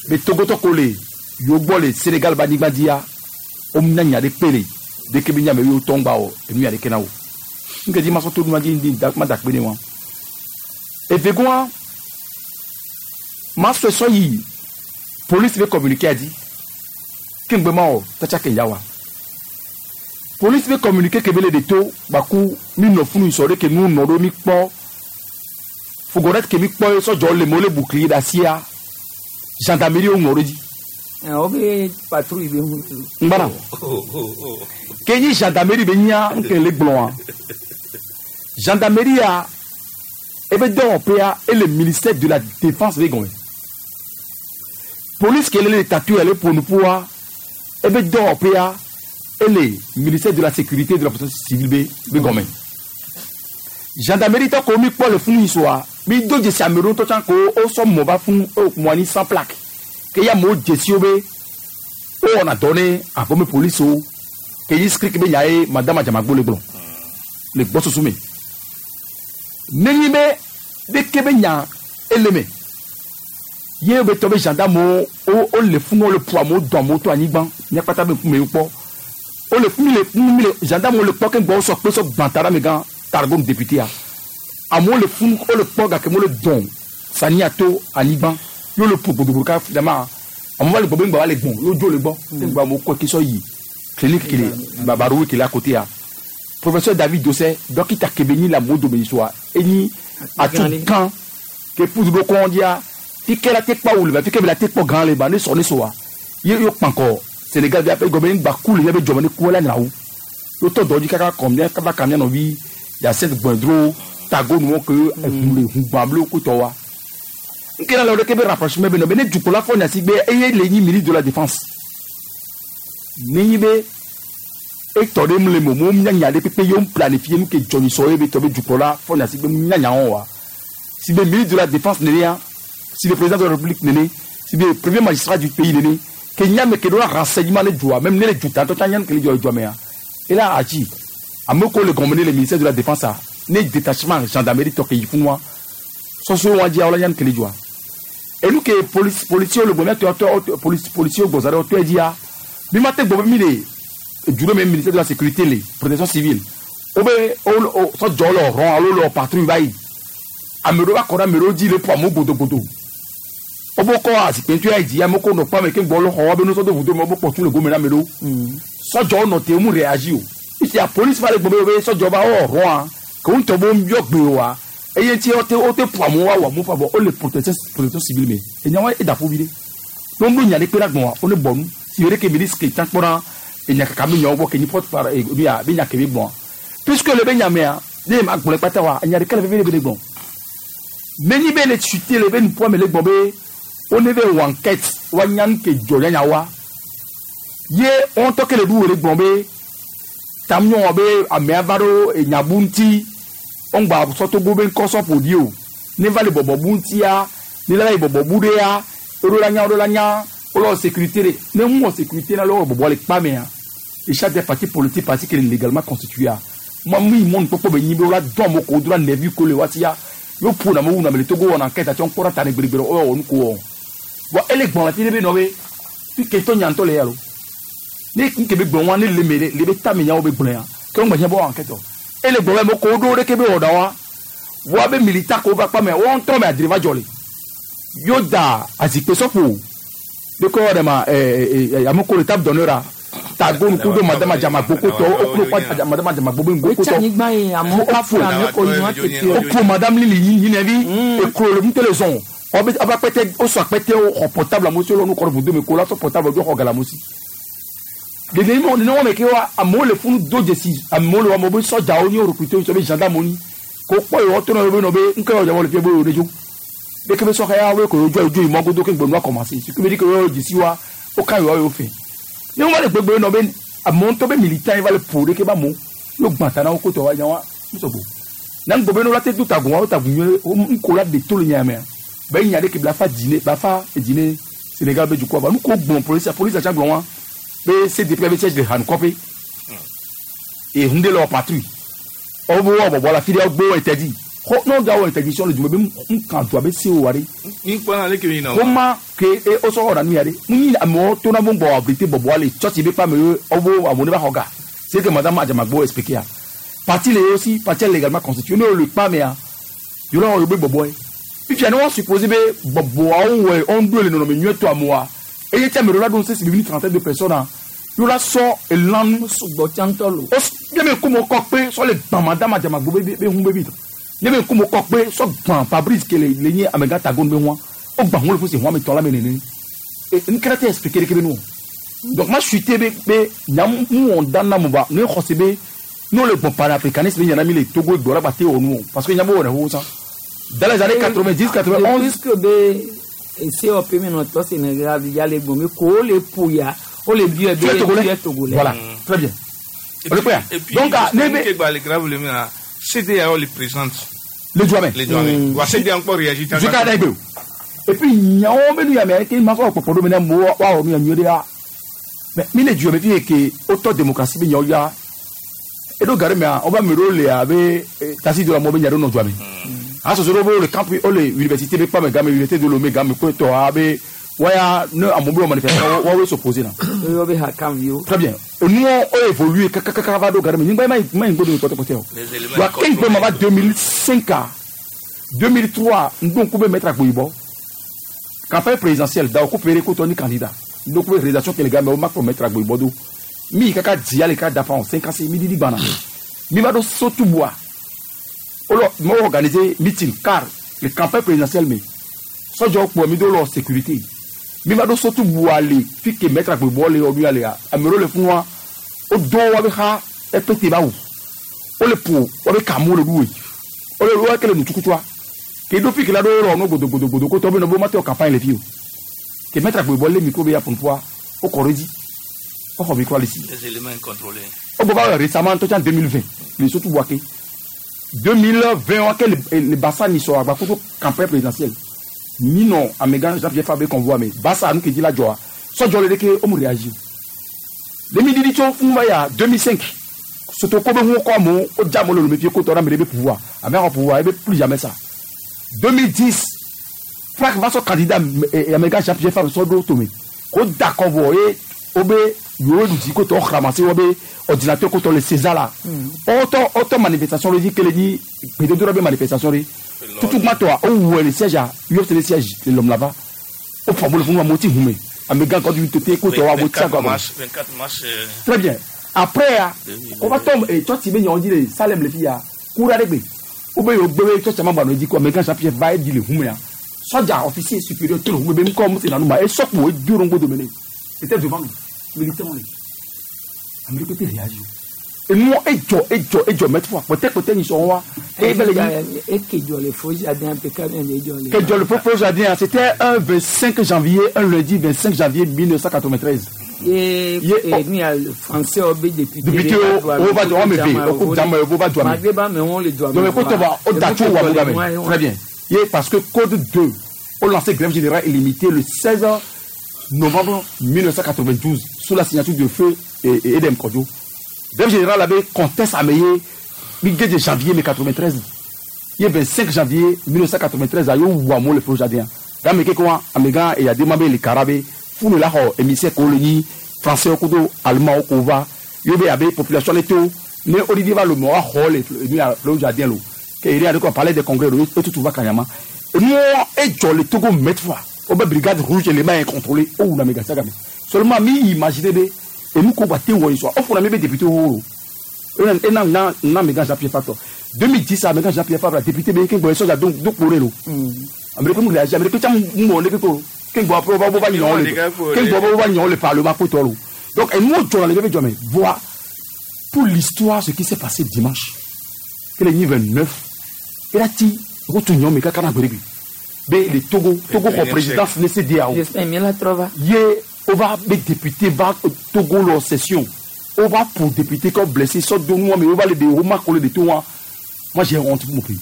be Togotɔ ko le yo gbɔ le Sénégal ba anyigba dzia wo nya nya ɖe kpe le deke be nya me ye wotɔ ŋgba wɔ enu ya ɖeke na wo nke dzi masɔ to nua dzi ndi da ma da kpe ne wa evegoa masɔ sɔ yi police be communiqué adi ke ŋgbe ma wɔ tsatsa ke ya wa police be communiqué ke be le de to gbaku mi nɔ funu sɔ ɖe ke nu nɔ ɖo mi kpɔ fourgonnette ke mi kpɔ ye sɔdzɔ le mo le bouclier d'acier gendarmerie wo ŋlɔ ɖe dzi. O be patrouille be hu. Ngbana ke nyi gendarmerie be nya nke le gblɔa gendarmerie ya ebe dɔwɔƒea ele ministère de la Défense be gɔme, police ke le le tatoué le ƒonuƒoa ebe dɔwɔƒea ele ministère de la Sécurité de la Protection civile be gɔme. Gendarmerie tɔ ko mi kpɔ le funu yi soa mi do dzesi ame ɖewo ŋutɔ tsã ko wosɔ mɔ va funu mɔ anyi sans plaque ke ya amewo dzesi wo be wowɔna dɔ ne avɔme polisiwo ke yi skriki be nya ye madame Adzamagbo le gblɔ le gbɔsusu me nenyi be ɖeke be nya ele me ye be tɔ be gendarme wo wo le funu wo le ƒo amewo dɔn amewo to anyigba míakpata be ŋkume kpɔ wo le funu le funu mi le gendarme wo le kpɔ ke gbɔ wosɔ kpe sɔ gbã ta ɖe amegã Targone député ya amewo le funu wo le kpɔ gake mo le dɔn sania to anyigba ye wo le ƒo gbodogbodo ka finalement amewo va le gbɔ be ŋgba va le gbɔn ye wo dzo le gbɔ ke ŋgba amewo kɔ ke sɔ yi clinique kele babarowe kele à côté ya professeur David Dosseh dɔkita kebe nyi le amewo dome yi soa enyi atu gã ke ƒudu ɖo kɔn dzia fike la te kpɔ awu le ba fike be la te kpɔ gã le ba ne sɔ ne sɔa ye yo kpankɔ Sénégal bi aƒe gɔme ŋgba ku le miabe dzɔme ne ku la nyra wu yo tɔ dɔ dzi kaka kɔm mía kaba ka mía nɔvi Yacinthe Gbɛndro tago nuwo ke eʋu le ʋu gbã blo kutɔ wa nke na le wo ɖeke be rapprochement be nɔ be ne dukɔla fɔ nya si gbe eye le nyi ministre de la Défense nenyi be etɔ ɖe mu le mo mo nya nya ɖe pépé ye wo planifié nu ke dzɔnyi sɔ ye be tɔ be dukɔla fɔ nya si gbe nya nya wɔn wa si be ministre de la Défense nene ya si be président de la République nene si be premier magistrat du pays nene ke nya me ke ɖo la renseignement ne dzoa même ne le dzuta ŋutɔ tsã nya nu ke le dzɔ le dzoa mea ela agi ame ko le gɔme ne le ministère de la Défense a ne détachement gendarmerie tɔ ke yi funua sɔsɔ wa dzia wala nya nu ke le dzɔa enu ke police policier le gbɔ miatɔ tɔ police policier gbɔza ɖe wotɔe dzia mi ma te gbɔ be mi le du ɖe me ministère de la Sécurité le Protection civile wobe wo sɔdzɔ le rɔn alo le patrouille va yi ame ɖewo va kɔ ɖe ame ɖewo dzi le ƒo amewo gbodogbodo wobe kɔ azikpɛntɔ ya yi dzi amewo ko nɔ kpɔ ame ke gbɔ le xɔ wobe nusɔ do vudo me wobe kpɔtu le gome na ame ɖewo sɔdzɔwo nɔ te wo mu réagi o isia police va le gbɔ be wobe sɔdzɔ va wɔ rɔa ke wo ŋutɔ be wo yɔ gbe oa eye ŋuti wote wote ƒo amewo woawɔ amewo ƒe abɔ wole protection civile me enya wa eda ƒo vi ɖe ne woɖo nya ɖe kpe ɖe agbɔn wo ne bɔ nu si ɖe ke ministre ke tsã kpɔna enya kaka be nyawo gbɔ ke nyi porte par be be nya ke be gbɔn puisque le be nya mea ne ma gblɔe kpata wa enya ɖeka le veve ɖe be ne gbɔn nenyi be le chute le be nuƒoa me le gbɔn be wo ne be wɔ enquête wa nya nu ke dzɔ nyanya wa ye wo ŋutɔ ke le ɖu wo le gbɔn be tam nyɔ be amea va ɖo enyabu ŋuti wo ŋgba sɔtogo be ŋkɔ sɔ ƒo ɖi o ne va le bɔbɔ bu ŋutia ne la yi bɔbɔ bu ɖea woɖo la nya woɖo la nya wole wɔ sécurité ɖe ne ŋu wɔ sécurité na le wɔ bɔbɔ le kpa mea et chaque des partis politiques parti qui est légalement constitué a moi mi mɔnu kpɔkpɔ be nyi be wola dɔn amewo ko wo do la nɛvi ko le wa sia yo ƒo na amewo wu na ame le Togo wɔna enquête atsɔ ŋkpɔ ɖa ta ne gbeɖegbeɖe wo wɔ nu ko wɔ bon ele gbɔn le fi ɖe be nɔ be fi ke tɔ nya ŋutɔ le ya lo ne nke be gblɔ wa ne le me le be tame nyawo be gblɔ ya ke wo ŋgba be wɔ enquête o ele gbɔn be ame ko wo ɖo ɖeke be wɔ ɖa wa wa be militaire ko va kpa me wo ŋutɔ me adre va dzɔ le yo da azikpe sɔƒo de ko ɖe ma ame ko le table d'honneur a tago nuku do madame Adzamagbo kotɔ oklo kpa madame Adzamagbo be ŋgo kotɔ Wotsi anyigba ye amewo kafu ame ko yi nua tete o. oklo madame Lili nyinɛvi eklo le ŋutɔ le zɔn ɔbɛ ɔbɛ akpɛtɛ wosɔ akpɛtɛ xɔ portable amewo si wole nu kɔ ɖe vudo me ko la sɔ portable do xɔ gala amewo si dede mi nene wɔme ke wa amewo le funu do dzesi amewo le wa amewo be sɔdzawo ni wo recruter wo be gendarme ni ko kpɔ yi wɔtɔ na be nɔ be ŋkɛ wɔ dze le fie be wo ɖe dzo ɖeke be sɔxɛ ya wo ko dzo dzo yi mɔgodo ke gbe nua commencer ce qui veut dire que wo dzesi wa wo ka yi wa wo fɛ ne wo va le gbegbe nɔ be amewo ŋutɔ be militant yi va le ƒo ɖeke be amewo yo gbã ta na wo kotɔ wa nya wa ŋusɔgbɔ na ŋgbɔ be ne wo la te do tagun wa wo tagun nyuie wo ŋko la de to le nya mea be nya ɖeke be la fa dzi ne ba fa edzi ne Sénégal be dukɔ ba nu ko gblɔ police police tsa gblɔ wa be CDP be siège le Hanukɔƒe Ehun ɖe le wɔ patrouille. Wobe wowɔ bɔbɔ le afi ɖe wogbe wo interdit. Xɔ ne wogawɔ interdiction le dume be ŋka dua be sewo wa ɖe. Mi kpɔna leke mi nɔ. Woma ke e wosɔ wɔna nu ya ɖe. Munyi amewo tona be ŋgbɔ abrite bɔbɔa le tsɔtsi be kpame ye wobe amewo ne va xɔ ga. C'est que madame Adjamagbo expliqué a. Parti le yewo si, parti légalement constitué. Ne wole kpamea, yewo la wɔ yewo be bɔbɔe. Fifia ne woa supposer be bɔbɔawo wɔe woŋɖoe le nɔnɔme nyuietɔa moa, eye tse ame ɖewo la ɖo ŋusẽ si be mi 32 personnes a, yewo la sɔ elãnu. Sugbɔ tsã ŋutɔ lo. Wo ne be ŋkume kɔ kpe sɔ le gbã madame Adjamagbo be be ŋu be vi. Ne be ŋkume kɔ kpe sɔ gbã Fabrice ke le le nye amegã tagonu be ŋua, wogbã ŋu le fu si ŋua me tɔ la me nene. E ŋkeke te expliquer ɖeke be nu o. Donc ma suite be be nya mu wɔn dan na mo ba ne xɔse be ne wole gbɔn panafricanisme nya na mi le Togo egbe la gba te wɔ nu o parce que nya be wɔ ne xoxo sã. Dans les années 90, 91. Puisque be COP me nɔ tɔ Sénégal ya le gbɔn be ko wole ƒo ya wole biɔ be Tu es Togolais? tu es Togolais. Voilà, très bien. Et puis, Et puis, donc, ah, ne be ke gba le grave le mea, CEDEAO le présente. Le Djouamé. Le Djouamé. Wa CEDEAO ŋkpɔ réagir. Jusqu'à là, egbe o. Et puis nyawo be nu ya me ke ma sɔ kpɔkpɔ ɖo me ne amewo woawɔ nu ya nyuie ɖea. Mais mi le Djouamé fi ke wotɔ démocratie be nyawo ya. Eɖo ga ɖe mea, wobe ame ɖewo le abe tasi do la amewo be nya ɖewo nɔ Djouamé. Asɔsɔ ɖewo be wole campus, wole université be kpame game, université de Lomé game kple tɔ abe waya ne amewo be wɔ manifestation woawoe s'opposer na. Woyɔ be hakamviwo. Très bien. Enuwo wo évolué kakakaka va ɖo ga ɖe me. Nyigba ye ma yi ma yi ŋgbo dome kpɔtɛkpɔtɛ o. Wa ke ŋgbe ma va 2005 a 2003 ŋdo ŋku be maître Agboyibɔ. Campagne présidentielle Daokou Péré kotɔ ni candidat. Ŋdo ŋku be réalisation ke le game wo ma kplɔ maître Agboyibɔ do. Mi yi kaka dzia le ka dafa o 56 mi ɖiɖi gbana. Mi va ɖo Sotubua. Wole me organiser meeting car le campagne présidentielle me. Sɔdzɔwo kplɔ mi do lɔ sécurité. Mi va ɖo Sotubua le fi ke maître Agboyibɔ le ɔnu ya lea. Ame ɖewo le funua. Wodo woabe xa epete ba wu. Wole ƒo woabe kamu le ɖuwe. Wole wo ke le nutukutua. Ke ɖo fi ke la ɖo lɔ nu godogodogodo kotɔ be nɔ be womate wɔ campagne le fi o. Ke maître Agboyibɔ lé micro be ya ƒo nuƒoa, wokɔ ɖe edzi. Woxɔ microa le si. Les éléments incontrôlés. Wogbɔ va wɔ récemment ŋutɔ tsã 2020 le Sotubua ke. 2020 wa ke le le Bassa ni sɔ agbakoto campagne présidentielle. Mi nɔ amegã Jean-Pierre Fabre convoi me. Bassa nu ke dzi la dzɔa. Sɔdzɔ le ɖeke womu réagir. Le mi ɖiɖi tso fún va ya 2005. Sotoko be ŋu kɔ amewo wodze amewo le Lomé fie kotɔ ɖe ame ɖe be pouvoir. Ame xɔ pouvoir ebe plus jamais ça. 2010 Frank va sɔ candidat amegã Jean-Pierre Fabre sɔ ɖo tome. Ko da kɔ vɔ ye wobe yewo ɖu dzi kotɔ ramassé wobe ordinateur kotɔ le César la. Wotɔ wotɔ manifestation ɖe dzi ke le dzi gbedodoɖa be manifestation ɖe. Tutu gbãtɔa wowɔe le siège a UFC le siège le Lomlava. Wofɔ amewo le funu amewo ti hume. Amegã Godwin Tete kotɔ amewo ti 24 agba. mars, 24 mars. Très bien. Après, on va tomber et toi tu mets dit le Salem le fille coura de Ou bien au bébé toi tu m'as dit quoi mais quand Jean-Pierre va dire le hume Soldier officier supérieur tout le hume même comme c'est dans nous et sort pour deux rongo de mener. C'était devant nous. Militaire on est. Amérique côté réagir. Et moi et jo et jo et jo mettre fois peut-être peut-être ils sont là. Et ben les Et que jɔ le fo jardin PK bien de jɔ le. que jo le faux jardin c'était un 25 janvier un lundi 25 janvier 1993. Ye Ye- nu ya français wo be député. Député wo wo va jɔ me ve o ko jama wo va jɔ me. Malgré ba me wɔn le jɔ Donc, écoute, on va au Dacho ou à Mugabe. Très bien. Et parce que Code 2 ont lancé grève générale illimitée le 16 novembre 1992 sous la signature de Feu et Edem Kodjo. Grève générale avait conteste à Meye, mi de janvier 1993. Il y a 25 janvier 1993, à Wamo le Feu Jardin. Dans mes quoi, Amega et Yademabe les Carabé, Fou la ho, émissaire colonie, français au Kodo, allemand au Kova, Yobe Abe, population les taux, ne Olivier va le mort, le Feu Jardin, lo. Que il y a de quoi parler des congrès, et tout va Kanyama. Et nous, et Joe, le Togo, mettre fois. Au brigade rouge, les mains incontrôlées, oh, la méga saga. Seulement, mi imaginer, et nous combattons, où ils soient. Oh, pour la même député, oh, et non, non, non, mais Jean-Pierre Fabre. 2010, amegã Jean-Pierre Fabre, député, mais qui est donc, donc, pour le. Américain, nous réagit, Américain, nous, on est que, qui doit pas, va, va, qui doit va, va, le parlement, pour toi, Donc, et nous, on a les jamais voir pour l'histoire ce qui s'est passé dimanche. Que le 29, il a dit, retournons, mais quand on a le Togo, Togo, présidence, le CEDEAO. J'espère bien la trova. Ye, on va, les députés, va, Togo, leur session. On va pour députés comme blessés, sort de nous, mais on va les dérouler, on les détourner. Moi, j'ai honte pour mon pays.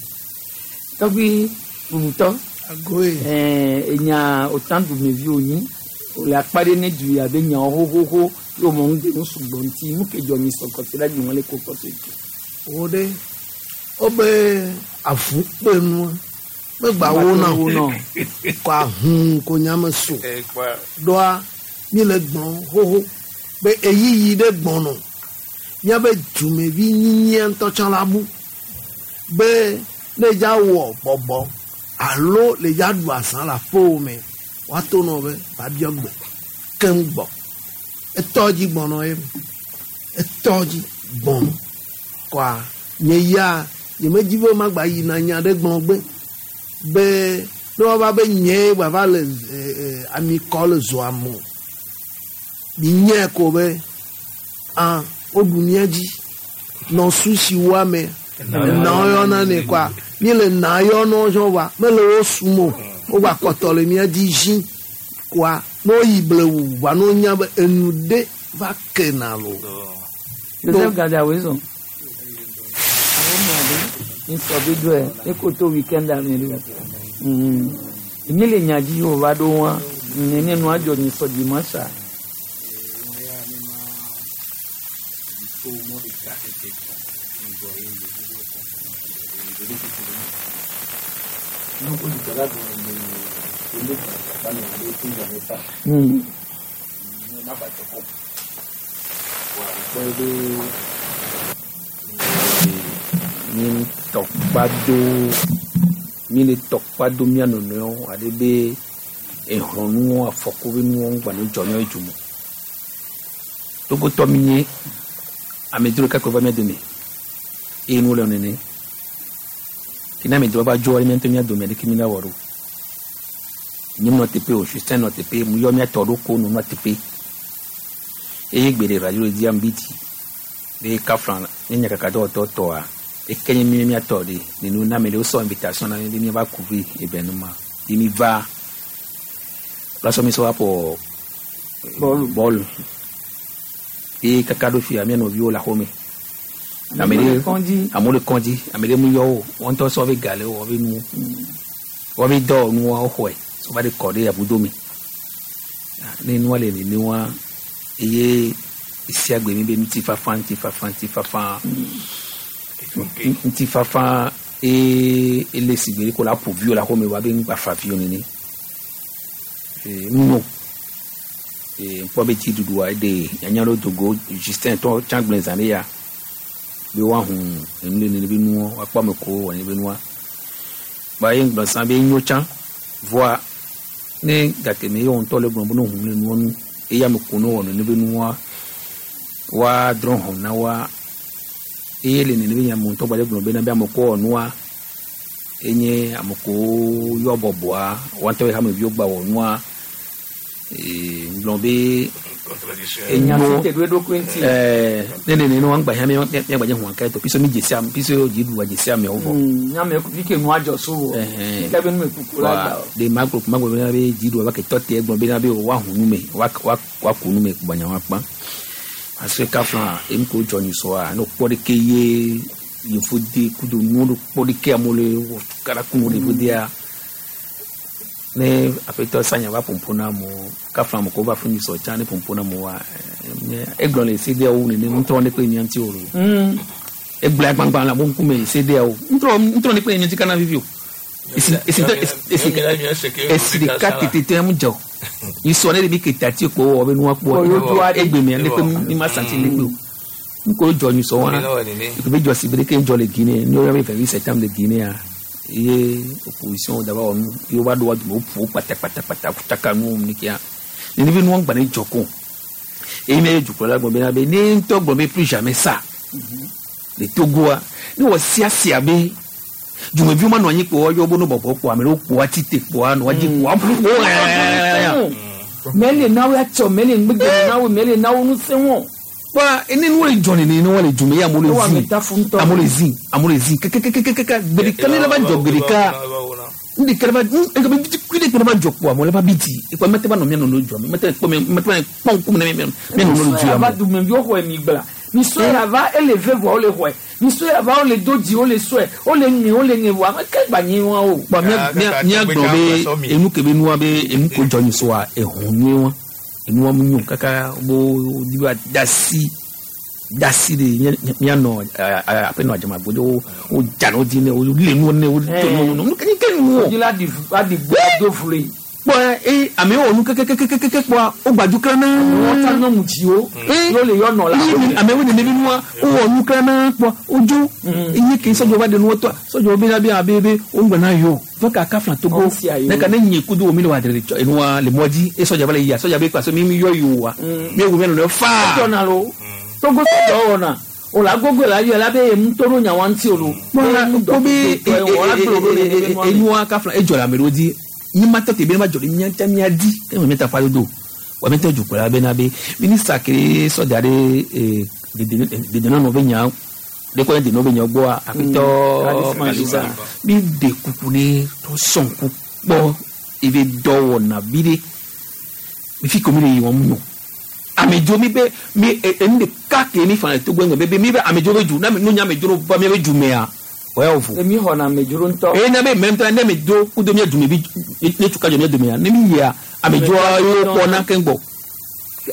Tɔgbi bubutɔ. Ɛɛ enya otan dumeviwo nyi le akpa ɖe ne du ya be nyawo xoxoxo Yóò mọ̀ ń gbé ń sugbọ̀n ntí mú kejì ọ̀nì sọ̀kọ̀ sí lájú wọn lè kó kọ́ sí ètò. Wo ɖe wobe avu kpe nua megba wo na Wo na. Kɔ ahun ko nyame so ɖoa mi le gbɔn xoxo be eyiyi ɖe gbɔnɔ míabe dumevi nyinyia ŋutɔ tsã la bu be ne dza wɔ bɔbɔ alo le dza ɖu azã le aƒewò me woato nɔ be babiɔ gbe keŋ gbɔ etɔ dzi gbɔnɔ ye etɔ dzi gbɔnɔ kɔa nye ya nyemedzi be magba yina nya ɖe gblɔ gbe be ne woava be nye gbava le ami kɔ le zɔa me o mi nye ko be ah woɖu mía dzi nɔ susi wo ame na yɔna ne kɔa mi le na yɔnɔ zɔn wa mele wo sum o wogba kpɔtɔ le mía dzi zi kɔa ne woyi blewu wa ne wonya be enu ɖe va kena lo. Joseph Gada wezo. Àwọn ọmọ àdé ń sọ bí dùn ẹ̀ ní kò tó weekend àmì rẹ̀. Èmi lè yàn jí Yorùbá dó wọn ní nínú àjọ ní sọ di mọ́ṣá. Mi tɔkpa do mi le tɔkpa do mía nɔnɔewo ale be exlɔnuwo afɔku be nuwo ŋgba ne dzɔ míawo dzume togotɔ mi nye amedzro ɖeka koe va mía dome eye nuwo le nene ke ne amedzro va dzo ale mía ŋutɔ mía dome ɖeke mi la wɔ ɖo nye nɔ teƒe o Justin nɔ teƒe mu yɔ mía tɔ ɖo ko nɔ teƒe eye gbe ɖe radio di am bi ti be kafla ne nyakaka dɔwɔtɔ tɔa eke nye mi mía tɔ ɖe nenu na ame ɖewo sɔ invitation na mi be míava couvrir événement ye mi va lasɔ mi sɔ va ƒo bɔlu bɔlu ye kaka ɖo fia mía nɔviwo le axɔme ame le ɖe kɔndzi. amewo le kɔndzi ame ɖe mu yɔ wo wɔn ŋutɔ sɔ be ga le wo be nuwo wɔn be dɔwɔnuwo woxɔe sɔ va ɖe kɔ ɖe abudo me ne nua le nene wa eye esia gbe mi be ŋutifafa ŋutifafa ŋutifafa ŋutifafa eye ele si gbe ko la ƒo viwo le axɔme wa be ŋgba fa viwo nene ee ŋunyo ee ŋkpɔ be dziɖuɖua eɖe nyanya ɖewo dogo Justin tɔ tsã gblẽ zã ɖe ya be woahun enu le nene be nuwo woakpɔ ame ko wɔ nene be nua ba ye ŋgblɔ sã be nyo tsã voa ne gake me ye wɔ ŋutɔ le gblɔ be ne ohun le nuwo nu eye ame ko ne wɔ nene be nua woa drɔ̃ hɔn na woa eye le nene be nya me ŋutɔ gba le gblɔ be na be ame ko wɔ nua enye ame ko yɔ bɔbɔa woa ŋutɔ ye hameviwo gba wɔ nua ee ŋgblɔ be Enya enyo si te ɖo eɖokui ŋuti. ɛɛ ne nene ne wɔn gba hɛn mi mi gba hun akɛ to pisɔ mi dzesi ame pisɔ dziɖuɖua dzesi amewo vɔ. Nyame fi ke nua dzɔ so wɔ. Ke be nu me kuku la gba o. De ma gblɔ ma gblɔ bena be dziɖuɖua va ke tɔ te gblɔ bena be wa hun nu me wa wa wa ku nu me gbanya wa kpã parce que kafla enu ko dzɔ nyisɔa ne kpɔ ɖeke ye yevu de kudo nuwo ɖo kpɔ ɖeke amewo le wɔ tukara kunu le yevu dea ne aƒetɔ sanya va ƒoƒo na amewo kafla ame ko va fún nyisɔ tsã ne ƒoƒo na amewoa egblɔ le CEDEAO nene ŋutɔ ne kpe nye ŋuti o lo egblɔ agbagba le abo ŋkume CEDEAO ŋutɔ ŋutɔ ne kpe nye ŋuti kana vivi o esi esi esi esi ɖeka tete mu dze o nyisɔ ne ɖevi ke tati kpo wɔ be nua kpɔ egbe mea ne kpe mi ma santi ne kpe o ŋko dzɔ nyisɔ wa ebe dzɔ si be ɖeke dzɔ le Guinée ne woyɔ be 28 septembre le Guinée ye opposition daba wɔ nu ye wova ɖo wa dome woƒo kpatakpatakpata tsaka nuwo mu kia nene be nua gba ne dzɔ ko eye mi ye dukplɔla gblɔ bena be ne ŋutɔ gblɔ be plus jamais ça le Togoa ne wɔ siasia be dumeviwo ma nɔ anyi kpo woyɔ bo no bɔbɔ kpo ame ɖewo kpo atite kpoa nɔ adzi kpoa ƒo Mele nawo atsɔ mele ŋgbegbe nawo mele nawo ŋusẽ wɔ. Wa ene nuwo le dzɔ nene ne wo le dzume ye amewo le Wo zi ame ta fu ŋutɔ. amewo le zi amewo le zi kekekekeke gbe ɖeka ne la va dzɔ gbe ɖeka nu ɖeka la va nu eke be kui ɖe kpe la va dzɔ kpo amewo la va bi dzi ekpɔ mete va nɔ mía nɔnɔewo dzɔ mete kpɔ mía mete va kpɔ ŋkume ne mía mía nɔnɔewo le dzu ava amewo. dumeviwo xɔe mi gbla misɔe ava ele ve vɔa wole xɔe misɔe ava wole do dzi wole sɔe wole ŋe wole ŋe vɔa ame ke gba nyi wa o. Bɔn mía mía mía gblɔ be enu ke be nua be enu ko dzɔ nyisɔa ehun nyuie wa Enua mu nyo kaka bo di ba dasi dasi de mianɔ aƒenɔ adzamagbodzo wo dza no di ne wo le nuwo ne wo to nuwo nu ke ke nuwo. Dzi la di adi gbe ado fle. Kpɔ eye amewo wɔ nu kekekekeke kpɔa wo gbadu klana. Wọ́n ta nyɔnu dziwo. Yóò le yɔ nɔ la. Amewo nene bi nua wowɔ nu klana kpɔa wodzo. Eye ke sɔdzɔ va de nuwo tɔa sɔdzɔ be na be abe be wo ŋgbɛ na yɔ. Donc a ka fila Togo ne ka ne nye kudo wo mi le wa dere tsɔ enua le mɔ dzi eye sɔdza va le yia sɔdza be kpa so mi mi yɔ yi wa mi wu mi nɔ faa. Edzɔna lo Togo sɔdzɔ wɔna o la gogo la yɔ la be emu to ɖo nyawa ŋuti o lo. Kpɔ be enua ka fila edzɔ le ame ɖewo dzi mi ma tɔ te be ne ma dzɔ ɖe mía ŋutɔ mía di ke me ta fa dodo wa mi tɔ dukplɔla bena be minista ke sɔdza ɖe dedenɔnɔ be nya ɖe kɔ ne denɔ be nya gbɔa aƒetɔ Kalisa mi de kuku ne tɔ sɔnku kpɔ ebe dɔwɔna vi ɖe mi fi ko mi le yi wɔm nɔ amedzo mi be mi enu ɖeka ke mi fa le Togo ŋgɔ be mi be amedzo be du na mi nu nya amedzo va mi be du mea o ya vo. Emi xɔna amedzro ŋutɔ. Eye na be mɛ ŋutɔ ne amedzo kudo mia dume bi ne tuka dzɔ mia dumea ne mi yia amedzoa yewo kpɔna keŋ gbɔ.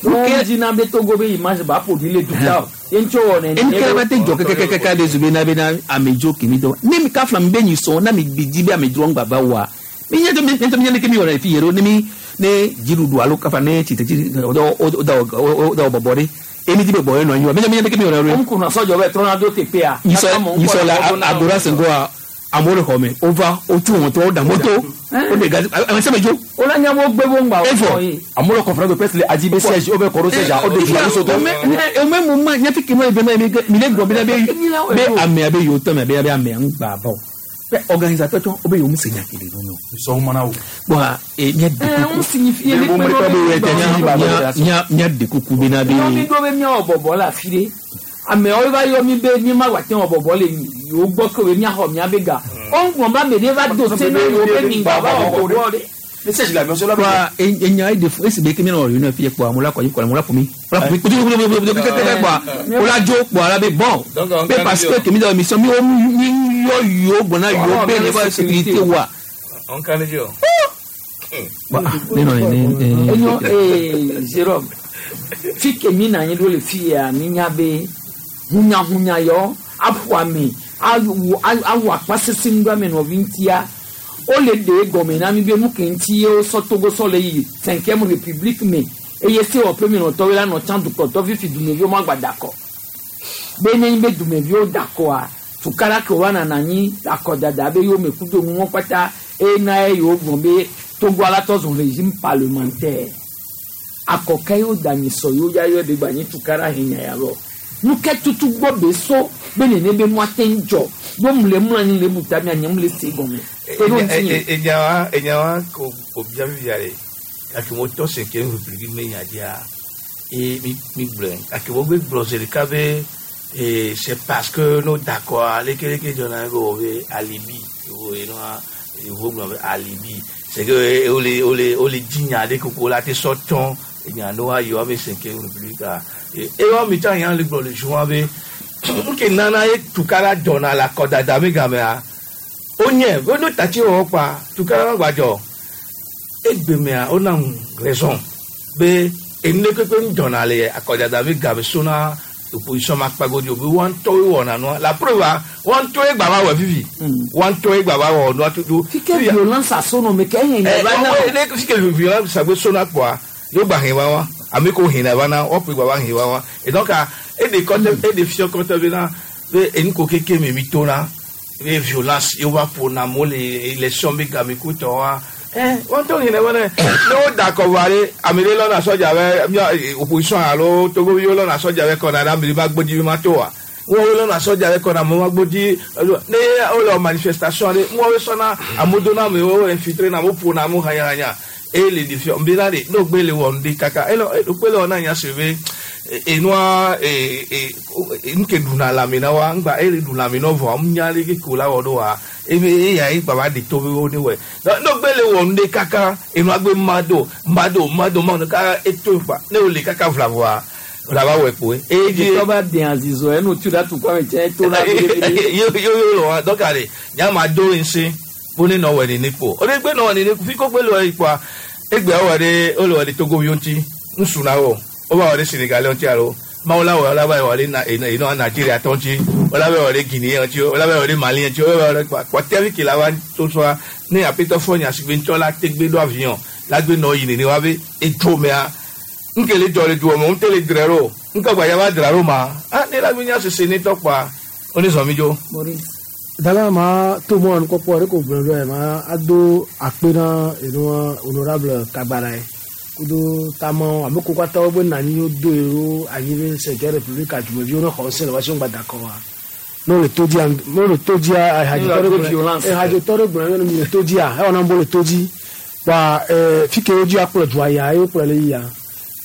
Nuke dzina be Togo be image ba produit le duta o. Ye ŋutɔ wɔ nene. Enu ke va te dzɔ kɛkɛkɛkɛ de zu be na be na amedzo kemi dɔ ne mi ka fila mi be nyi sɔn na mi bi di be amedzoa ŋgba va wa mi nye to mi nye to mi nye leke mi wɔna le fi yɛ ɖo ne mi ne dziɖuɖu alo kafa ne tsitretsi o da o bɔbɔ ɖe emi di be bɔ ye nɔ anyi wa mi nye mi nye leke mi wɔna ɖo. Ŋu kunna sɔdzɔ bɛ trɔna do teƒea. Nyisɔ la agora sengoa amewo le xɔ me wova wotu wɔtɔ woda moto wode gazi ame sia ame dzo. Wola nya wo gbe wo ŋgba Efɔ. Amewo le conférence de presse le adi be siège wo be kɔ ɖo siège a wo de journaliste tɔ. Ome mo ma nya fi ke mo ebe na mi le gblɔ bena be be amea be yewo tɔ mea be be amea ŋgba va o. Pe organisateur tsɔ wo be yewo mu se nya ke le nu. Sɔn mana o. Bɔn e mía de kuku. Ŋu signifie ne Mía mía de kuku bena be. Nyɔnu ɖo be míawɔ bɔbɔ le afi ɖe. Amewo va yɔ mi be mi ma wòate wɔ bɔbɔ le yewo gbɔ ke be míaxɔ mía be ga. Wo ŋgɔ be ame ɖe va do se na yewo be mi ŋgba va wɔ bɔbɔ ɖe. Ne siège la avion la. Kpɔa enya ye de fu esi be ke míanɔ réunion fi kpɔa amewo la kɔ dzi kpɔa amewo la ƒo mi. Wola ƒo mi kutu kutu kutu kutu kutu kpɔa wola dzo kpɔa la be bon be parce que kemi dɔ émission mi wo mi yɔ yewo gbɔna yewo be ne va sécurité wa. On kan di o. Ne nɔ ne ne. Enyo ee Jérôme fi ke mi na anyi ɖo le fi ya mi nya be hunyahunya yɔ aƒo ame awɔ akpa sese ŋu ɖo ame nɔvi ŋutia wole ɖe gɔme na mi be nu ke ŋuti ye wosɔ Togo sɔ le yi cinquième république me eye sewɔƒe me nɔtɔwo la nɔ tsã dukplɔtɔ fifi dumeviwo ma gba da akɔ be nenye be dumeviwo da akɔa tukara ke wa nana anyi akɔdada be yewo me kudo nuwo kpata eye na ye yewo gblɔ be Togo alatɔ zɔn régime parlementaire akɔkɛ yewo da nyi sɔ yewo ya yɔ de gba nyi tukara henya ya lɔ nuke tutu gbɔ be so be nene be nua te ŋdzɔ bo mu le mlɔ anyi le buta mia nye mu le se gɔme. Enyawa enyawa ko ko bia mi bia le gake mo tɔ cinquième république me nya dia e mi mi gblɔe gake wo gbe gblɔ zi ɖeka be e c'est parce que no d'accord lekeleke dzɔna be wo be alibi wo enua wo gblɔ be alibi c'est que wole wole wole dzi nya ɖe koko la te sɔ tsɔ enya no ayi wa be cinquième république a ewɔ mi tsa nya le gblɔ le juin be nke nana ye tukara dzɔna le akɔdada mi gamea wonye wono tatsi wɔwɔ kpa tukara ma gbadzɔ egbemea wona ŋu raison be enu ɖe kpekpe ŋu dzɔna le akɔdada mi game sona opposition ma kpagodi o be wɔn ŋutɔwoe wɔna nua la preuve wɔn ŋutɔwoe gba va wɔ fifi wɔn ŋutɔwoe gba va wɔ nua tutu. Fike violence asono me ke ehe nya va na. Ne fike violence agbe sona kpɔa yóò gba hɛn wa wa ame ko hɛn la va na wɔn ƒe gba va hɛn wa wa et donc eɖe kɔtɛ eɖe fiɔ kɔtɛ be na be enu ko keke me mi to na be violence yóò va ƒo na amewo le élection be game ko tɔ wa ɛ wɔn tó hɛn la va ne ne wo da kɔ va ɖe ame ɖe lɔna sɔdza bɛ mia opposition alo Togo viwo lɔna sɔdza bɛ kɔna ɖe ame ɖe va gbodzi be ma to wa wɔn lɔna sɔdza bɛ kɔna ame ma gbodzi ne wole manifestation ɖe wɔn sɔna amewo dona amewo infiltré na amewo ƒona amewo hanyahanya eye le ɖe fiɔ nbena de n'o gbe le wɔ ŋdi kaka elo gbe le wɔ na nya se be enua nuke ɖuna lãme na wa ŋgba eye ɖu lãme na vɔ ŋu nya le ke ko la wɔ ɖo wa ebe eya ye baba de to be wo ne wɔe n'o gbe le wɔ ŋdi kaka enua gbe ma do ma do ma do ma do kaka eto fa ne wo le kaka vla vɔa la va wɔ kpoe. Eye dzi tɔba den azizɔ enu tu da tu kɔ ame tsɛ to la. Yo yo yo lɔ wa dɔka de nyama do ŋse bo ne nɔ wɔ nene kpo o de gbe nɔ wɔ nene fi ko gbe le wɔ yi kpoa egbe wɔ ɖe wole wɔ ɖe Togo viwo ŋuti Ŋsu na wo wova wɔ ɖe Sénégalais ŋuti alo mawu la wɔ la va wɔ ɖe na eno Nigeria tɔ ŋuti wala va wɔ ɖe Guinée ŋuti wala va wɔ ɖe Mali ŋuti wala va wɔ ɖe kpɔtɛvi ke la va to sɔa ne apetɔ fɔ nya si gbe ŋutɔ la tegbe ɖo avion la gbe nɔ yi nene wa be edzo mea nke le dzɔ le dua me ŋute le dzra ɖo nke gba ya va dzra ɖo ma ah ne la gbe nya sese ne tɔ kpɔa wone zɔn mi dzo. Dala ma to mɔ nukpɔkpɔ ɖe ko gblɔ ɖo ma ado akpe na enua honorable Kagbara ye kudo tamawo ame ko katã wo be na anyi wodo ye ɖo anyi be cinquième république dzumeviwo ne xɔ ŋusẽ le woasi ŋgba da kɔ wa. Ne wole to dzia, ne wole to dzia, ehadzitɔ ɖe gblɔ, ehadzitɔ ɖe gblɔ ne mi le to dzia, ewɔ na be wole to dzi. Kpa fi ke wodzi akplɔ dua ya, ye wokplɔ le yia.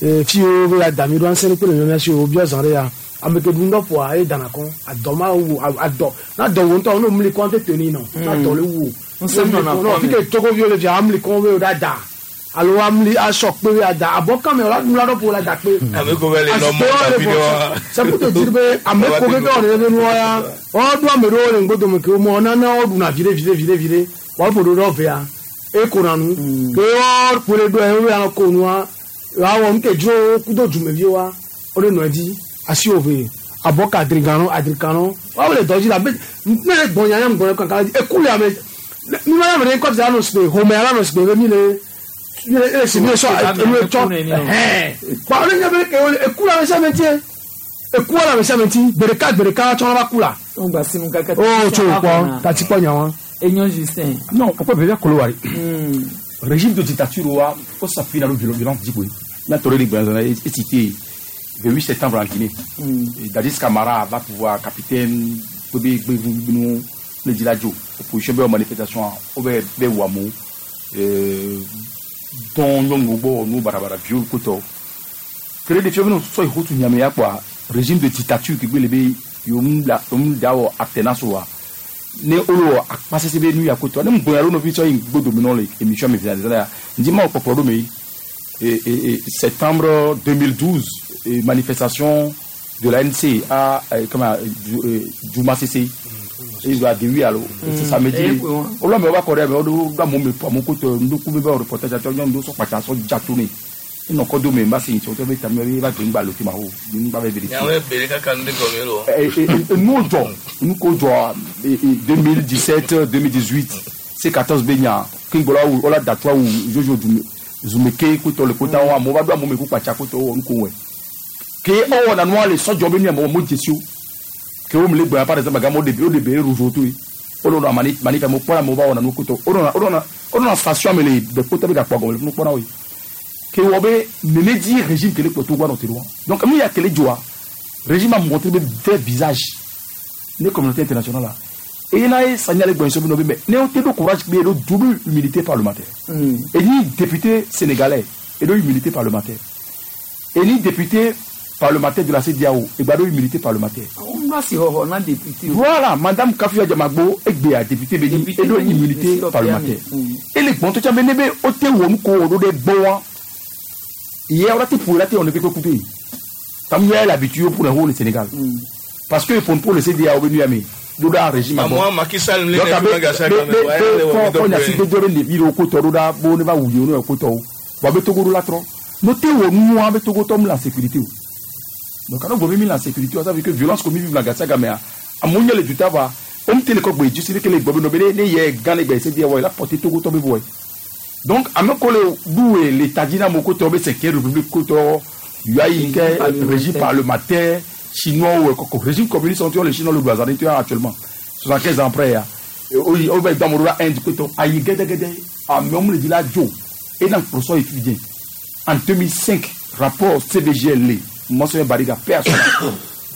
Fi yiwo be ya da mi ɖo ŋusẽ kple le mia si wo biɔ zã ɖe ya. Ame ke ɖu ŋdɔ ƒoa, ye dana kɔ. Adɔ ma wu, adɔ. Na dɔ wo ŋutɔ, ne womli kɔ tete ni nɔ. Na dɔ le wu. Ŋusẽ nɔna kɔ. Fi ke Togoviwo le fia, amli kɔ be wo da da. Alo amli asɔ kpe be ada. Abɔ kame wòla ɖu la ɖɔ ƒo la da kpe. Ame ko be le nɔ mɔ tapi ɖe wa. C'est pour te dire be ame ko ke ke wɔ ɖe be nua ya. Woɖo ame ɖewo le ŋgbodome ke womɔ nana woɖuna viɖe viɖe viɖe viɖe. Woaƒo ɖo ɖe vea. Eko na nu. Ke woƒo ɖe ɖo ye woya ko nua. Woawɔ nu ke dzro kudo dzumeviwoa. Woɖe nɔ edzi. Asi wo ve. Abɔ ka adriganɔ adrikanɔ. Woawo le dɔ dzi la be ne le gbɔnya ya ŋgbɔnya kankan dzi. Eku le ame. Mi ma ame ɖe kɔ ti anɔ sigbe home ala nɔ sigbe be mi le mi le esi mi le sɔ enu etsɔ. Ɛhɛn. Kpa wole nya be ke wole eku le ame sia ame ŋuti. Eku le ame sia ame ŋuti. Gbe ɖeka gbe ɖeka tsɔ va ku la. Ŋgba sinu kaka. O tso kpɔ tati kpɔ nya wa. Enyo Justin. Non, pourquoi bébé Kolowari? Régime de dictature wa o s'appuie dans le violence djikoui. La toré de Gbanzana est cité le 8 septembre en Guinée. Dadis Camara va pouvoir capitaine Bébé Gbénou le Diladjo. Opposition be manifestation o be be wamo don nyongo nous barabara viol koto. Créer des films so hutu nyame ya quoi régime de dictature qui gbele be yom la yom dawo alternance wa. Ne olo akpase se be nu ya koto. Ne mboya lo no fi so yin gbodo mi no le émission mi finaliser la. Ndi ma poporo mi et septembre 2012 et manifestation de l'ANC à comment Djouma Cissé. Et il a dit oui alors c'est samedi. On l'a mais on va correr mais on doit mon mon côté nous couper le reportage à toi nous so pata so jatourné. Ils n'ont pas donné mais c'est surtout mais tamé va grimba le tema ho. Nous va vérifier. Ya we bere kaka nde gomelo. Et nous nous ko 2017 2018 C14 Benya Kingola ou ola datwa ou Jojo Zumeke koto le kota wa mo ba do mo me ku pacha koto on ko we. Ke o na noa le so jobe ni mo mo jesio. Ke o me le gba par exemple ga mo de o de be rouge to. O lo na mani mani fa mo pora mo ba ona no koto. O na station me le de kota be ga kwa go le no pora we. Ke o be ne di régime ke le koto gwa no te loin. Donc mi ya ke le joa. Régime a montré be vrai visage. Ne communauté internationale là. Et il a signalé que mais ne ont de courage mais de double humilité parlementaire. Et ni député sénégalais et de humilité parlementaire. Et ni député parlementaire de la CEDEAO et de humilité parlementaire. Voilà, madame Kafia Djamagbo et Béa député Béni et de humilité parlementaire. Et les bons tu as mené au te wo de boa. Hier on a été pour la on ne peut couper. Comme il y a l'habitude pour le Sénégal. Parce que pour le CEDEAO venu à doda régime moi Macky Sall le ne gasa quand on a cité dore le biro ko to doda bo ne ba wuyo no ko to ba be togo la tro no te wo nu wa be togo tom la sécurité donc quand on veut la sécurité ça veut que violence comme vive la gasa gamea amunya le dutaba on te le ko gbe juste que le gbobe no be ne ye gan le gbe c'est dire ouais la porter togo to be boy donc ameko le doué l'état dina moko to be c'est république ko to yayi ke régime parlementaire chinois ou régime communiste on les chinois le bazar actuellement 75 ans après on va dans mon Inde que ayi gede gede a même le dit la jo et dans le procès étudiant en 2005 rapport CVGL Monsieur Bariga personne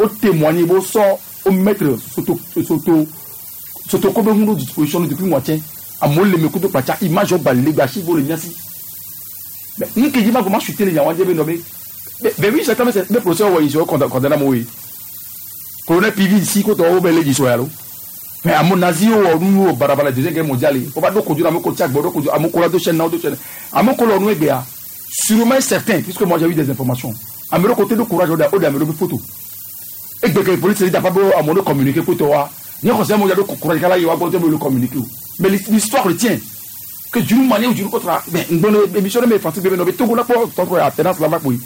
au témoigner au sort au maître soto soto soto comme nous disposition depuis moitié à mon le meko de pacha image au balé gachi pour le miasi mais ni que dit comment chuter les yawandé be nommé. Mais oui, c'est comme le procès où ils ont condamné moi. Colonel Pivi ici, quand on a les Mais à mon nazi, on a barabara la deuxième guerre mondiale. On va donc conduire à mon côté, à mon collègue de chaîne, à mon collègue, sûrement certain, puisque moi j'ai eu des informations. À mon côté de courage, on a mis photo. Et que la police n'a pas à mon communiquer pour toi. Ni conseil, moi j'ai courage, il va le communiquer. Mais l'histoire le tient. Que d'une manière ou d'une autre, mais ngbɔnɔ émission ɖe me fanti gbe be nɔ be Togo la kpɔ tɔtɔ alternance la va kpoyi.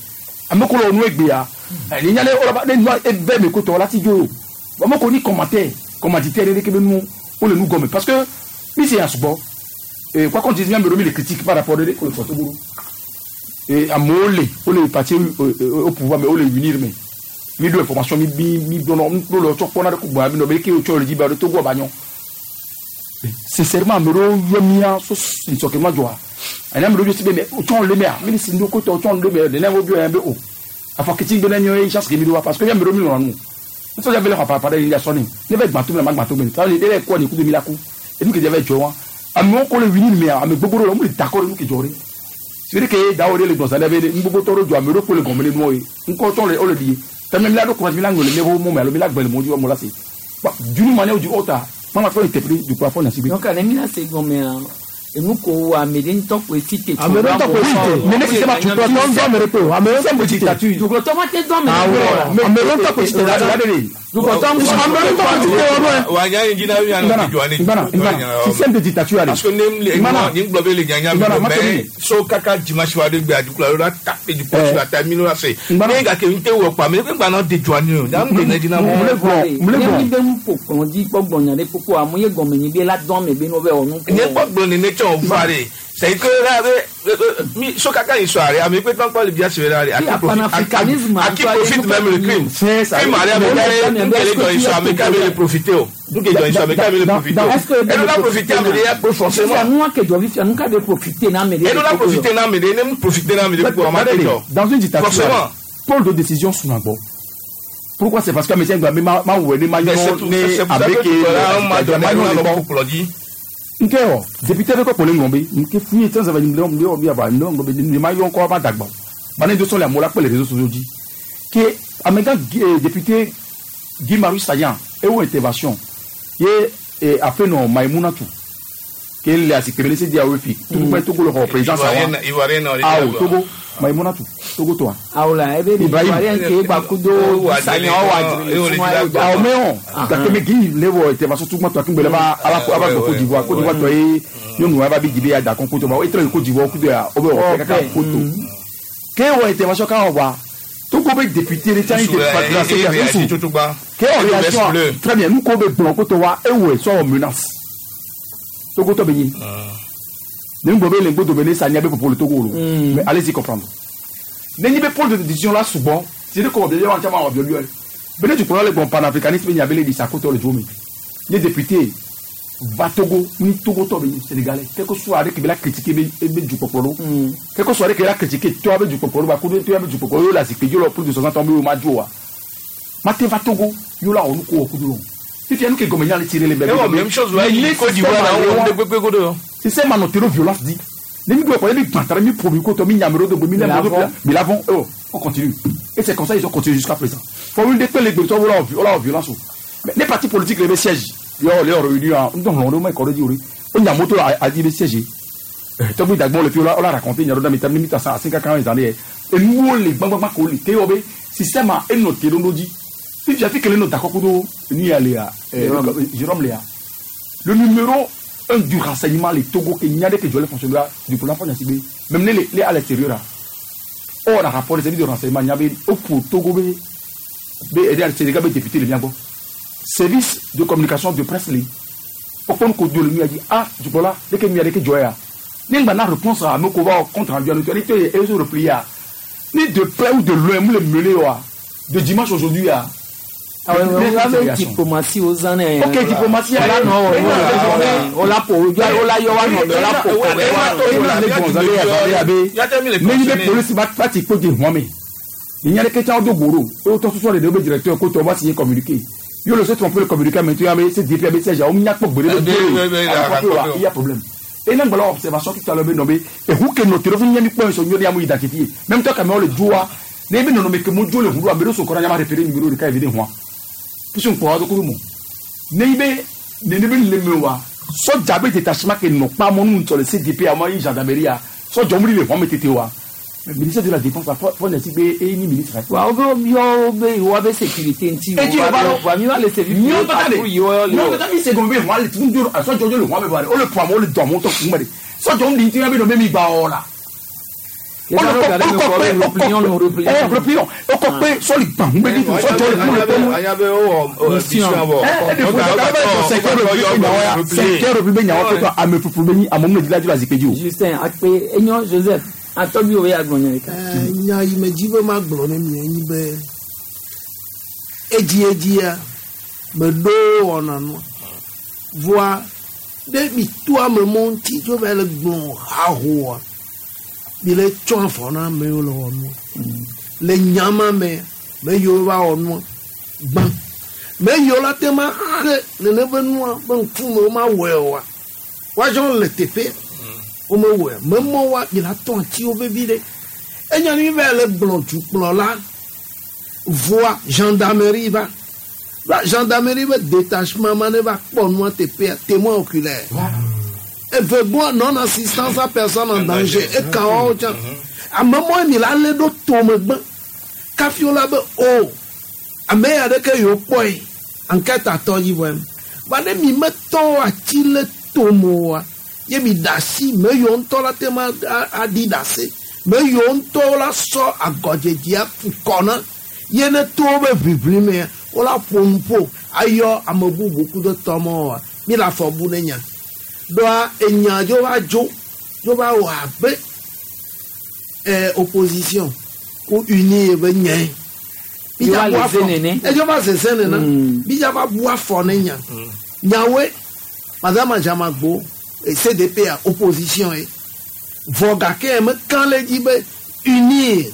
Ame ko le nu egbea. Ni nya le o la ba ne nua eve me ko tɔ la ti dzo. Bon mo ko ni commentaire, commanditaire ne ke be nu o le nu gɔme parce que mi se asugbɔ. Et quoi qu'on dise, bien me remis les critiques par rapport à le Togo. Et amewo le o le parti au pouvoir mais o le unir mais mi do information mi bi mi dɔnɔ mi do le tsɔ kpɔna ɖe ko gbɔna mi nɔ be ke o tsɔ le dzi ba ɖe Togo ba nyɔ. Sincèrement, ame ɖewo yɔ mía so nsɔkɛ ma dzɔa ɛnɛ ame ɖewo si be mɛ o tsɔ le mea mi ni si ŋdo ko tɔ o tsɔ le mɛ nene wo bi yɔ be o afɔ kiti gbe ne nyɔ ye chance ke mi do wa parce que mi ame ɖewo mi lɔna nu nisɔn bɛ le xɔ papa ɖe yi sɔni ne bɛ gbãto mi la ma gbãto mi ta ne bɛ kɔ ni kudo mi la ku enu ke dze bɛ dzɔ wa amewo ko le wini mea ame gbogbo ɖewo le mo le dakɔ ɖe nu ke dzɔ ɖe c'est que dawo ɖe le gbɔnsã ɖe be nugbogbo tɔ ɖo dzɔ ame ɖewo ko le gɔme le nuwo ye ŋkɔ tɔ le wo le ɖi ye tɛmɛ mi la ɖo kɔmasi mi la ŋlɔ le mi mo mɛ alo mi la gbɛ le mo dzi wa mo la se d'une manière ou d'une autre mama fɔ interpellé du coup afɔ nasi bi. Donc ale mi na se gɔmea enu ko wo ame ɖe ŋutɔ koe si te. Ame ɖe ŋutɔ koe si te. Mais ne sistème a Dukplɔtɔ ŋutɔ ame ɖe koe o. Ame ɖe ŋutɔ koe si te. Dukplɔtɔ ma te dɔn ame Awɔ. ɖe Ame ɖe ŋutɔ koe si te. Dukplɔtɔ ŋutɔ Ame ɖe ŋutɔ koe si te wɔ ɖo. Wa nya yi na ya Ngana, no jɔ ani. Ngana, Ngana, système de dictature ale. Parce que ne le Ngana. ni gblɔ be le nyanya Ngana, mi ma mais tɛmɛ. so kaka dimanche wa de gbe adukula yɔrɔ ta pe du poste la ta mi no la se. Ngana. Ne gake n te wɔ kpa me ne gba na de jɔ ani o. Na n de ne di na Mle mɔ. gblɔ, mle Ne mi gblɔ. be nu ƒo kplɔ dzi kpɔ gbɔnya ɖe kpokpo amu ye gɔme nyi be la dɔn ame be no be wɔ nu. Ne kpɔ gblɔ ne ne tsɔ o fa de. C'est que là mi so kaka yi sɔ are ame pe tɔn kpɔ le bia sebe la de. Oui, panafricanisme, À qui profite même le crime. C'est ça. Crime are ame ka n kele jɔ yi sɔ ame ka be le profiter o. N ke jɔ yi sɔ ame ka be le profiter o. Est-ce que Elle la profiter ame de ya ko forcément. Fifia nua ke dzɔ fifia nu ka be profiter na ame ɖe. Elle la profiter na ame de ne mu profiter na ame de ko ama te jɔ. Dans une dictature, Forcément. pôle de décision Sunagbo. Pourquoi c'est parce que médecin doit ma ma wele ma Mais c'est yɔ tout- ne c'est pour ça que avec tout à l'heure, on m'a donné un nom pour dire. Nke o député bɛ kɔ kpɔle ŋgɔ be nke fui tɛn sɛbɛn ŋgɔ ŋgɔ ŋgɔ aba ŋgɔ ŋgɔ be ne ma yɔ ŋkɔ ba dagba ba ne do sɔn le amewo la kpe le réseaux sociaux dzi ke amegã député Guy Marius Sagna ewo intervention ye aƒenɔ Maïmouna Tou ke le asikpeme ne se di awo fi tukpɛ Togo le xɔ président sa wa Ivoirien nɔ. awo Togo Maïmouna Tou Togo tɔa. Awo la ebe Ibrahim. Ibrahim ke gba kudo sanya wa awo mɛ gake me Guy le wɔ intervention tukpɛ tɔ akungbe le ba aba aba gbɔ Côte d'Ivoire Côte d'Ivoire tɔ ye nyɔnu aba bi dzibe ya da kɔn koto ba etrɔ yi Côte d'Ivoire kudo ya wo bɛ wɔ kaka koto ke wɔ intervention kan wɔ wa Togo bɛ député de tiɲɛ de su ke wɔ réaction très bien nu ko bɛ gblɔ koto wa ewɔ sɔ wɔ menace Togo tɔ bɛ ɲi ne ŋgbɔ bɛ le ŋgbɔ dobe ne sa nya bɛ popo le Togo lo mais allez-y comprendre ne nyi bɛ pôle de décision la sugbɔ si ne kɔ bɛ yɔ caman wɔ biɔ biɔ bɛ ne tukɔrɔ le gbɔn panafricanisme nya bɛ le di sa kotɔ le jo mi ne député va Togo ni Togo tɔ bɛ ɲi Sénégalais quel que soit ale k'i bɛ la critiquer bɛ bɛ dukɔkɔ lo quel que soit ale k'i bɛ la critiquer tɔ bɛ dukɔkɔ lo ba ko tɔ bɛ dukɔkɔ lo la zikpe jo la plus de 60 ans bɛ o ma jo wa ma te va Togo yo la olu ko o kudu lo fifi enu ke gɔmɛ nya le tirer le bɛ. Eh bon, même chose, ouais, Mais Côte d'Ivoire, système là, on a- est gbégbé godo. système a nɔte ɖo violence di ne mi gbɔ kɔ ne mi gbãtara mi ƒo mi kotɔ mi nyame ɖo dogbe mi lé L'avant. mi mi l'avant oh on continue et c'est comme ça ils ont continué jusqu'à présent fɔ wuli de kpe le gbetɔ wo la wɔ la wɔ violence o mais les partis politiques le be siège yɔ le réunion a ŋutɔ hlɔn ɖe wo ma kɔ ɖe dzi o ɖe o nya moto a di be siège tɔgbi dagbɔn le fi o la raconté nya ɖo da mi ta mi ta san asin kaka zan de yɛ enuwo le gbagbagba ko le te yɔ be système a enɔ te ɖo ɖo dzi fifia fi kele nɔ dakɔ kudo nu ya le ya Jérôme le ya le numéro un du renseignement le Togo ke nya ɖe ke dzɔ le fonctionnaire du plan fɔ nyasi be même ne le le à l'extérieur la or na rapport service de renseignement nya be o ƒo Togo be be ɛdi Sénégal be député le mia gbɔ service de communication de presse le kpɔkpɔ nu ko do le nu ya dzi ah dukɔla ɖeke nu ya ɖeke dzɔ ya ne ŋgba na réponse a ame ko va compte rendu anu ne te ye se replier ya ni de près ou de loin mu le mêler wa de dimanche aujourd'hui ya. Awo diplomatie wo zã ne. Ok, diplomatie. Ola nɔ wɔ ola ƒo ola yɔ wa nɔ ola ƒo ka ɖe wa nɔ. ne yi bɛ polisi ba ti ko di hɔn mi ìyẹn ní kẹtsɛ ọdún gbòòrò ó tọ́ sọ́sọ́ de bɛ directeur kó tọ́ ọba sì yé communiqué yóò lọ sí tromper le communiqué mais tu yà bɛ se DP bɛ sɛjà ọmọ nyakpɔ gbèrè bɛ gbèrè il y a problème et n'a gbala observation tout à l'heure bɛ nɔ bɛ ehu ke nɔ téléphone ɲɛ mi kpɔ nsɔ ɲɔ de yamu identifié même toi kàmɛ ɔle joa ne bɛ nɔnɔ mɛ ke mo jo le hudu a mɛ so kɔrɔ ɲama référé numéro de ka evide hɔn puisque nkpɔ wa dɔkuru mɔ ne bɛ ne ne bɛ leme wa sɔdza bɛ détachement ke nɔ kpa mɔnu ŋutɔ le CDP a ma yi gendarmerie ya sɔdza wuli le hɔn mɛ tete wa Ministère de la défense fɔ ne si be eyi ni ministre. Wa wo be yɔ wo be wa be sécurité ŋuti. Eti o ba dɔn. Wa mi wa le service. Miɔ tata de patrouille yɔ le. Miɔ tata mi segɔn be hɔn le tun do a sɔjɔ le hɔn be ba de o le pɔ amewo le dɔn amewo tɔ kun bɛ de sɔjɔ ń di ti bɛ nɔ bɛ mi gba wɔ la. Replions o kɔ pe sɔli gbà ń bɛ di tun sɔjɔ le kun le kɔnu. Anya be wowɔ mission vɔ. Cinquième république nyawo pɛtɔ ame fufu be nyi amewo le dzi la zikpui dzi o. Justin akpe enyo Joseph atɔgbi wo ya gblɔ nya ɖeka. Nya yi me dzi be magblɔ ne mi enyi be edziedzia meɖo wɔna nua voa ɖe mi to ame mɔ ŋuti tso va le gblɔ hahoa mi le tsɔ afɔ na amewo le wɔ nua le nyama me me yiwo va wɔ nua gbã me yiwo la te ma xe nene be nua be ŋkume wo ma wɔe oa woadzɔ le teƒe womewɔe memɔ wa mi la tɔ atiwo vevi ɖe enya mi va le gblɔ dukplɔla voa gendarmerie va va gendarmerie be détachement ma ne va kpɔ nua teƒea témoin oculaire eve gbɔ non assistance à personne en danger eka wɔwo tsã ame mɔ mi la lé ɖo tome gbã kafi wo la be o ame ya ɖeke yewo kpɔe enquête atɔ dzi vɔ ba ne mi metɔ ati le tome oa ye mi da asi me yiwo ŋutɔ la te ma aɖi ɖase me yiwo ŋutɔ la sɔ agɔdzedzea fu kɔ na ye ne to wo be ʋiʋli mea wo la ƒo nu ƒo ayɔ ame bubu ku ɖe tɔmɔ mi le afɔ bu ne nya ɖoa enya dzo va dzo dzo va wɔ abe opposition ku uni ye be nyae. Yo va le ze nene. Edzo va zeze nene. Mi dza va bu afɔ ne nya. Nyawoe madame Adjamagbo CDP a opposition ye vɔ gake mekã le dzi be uni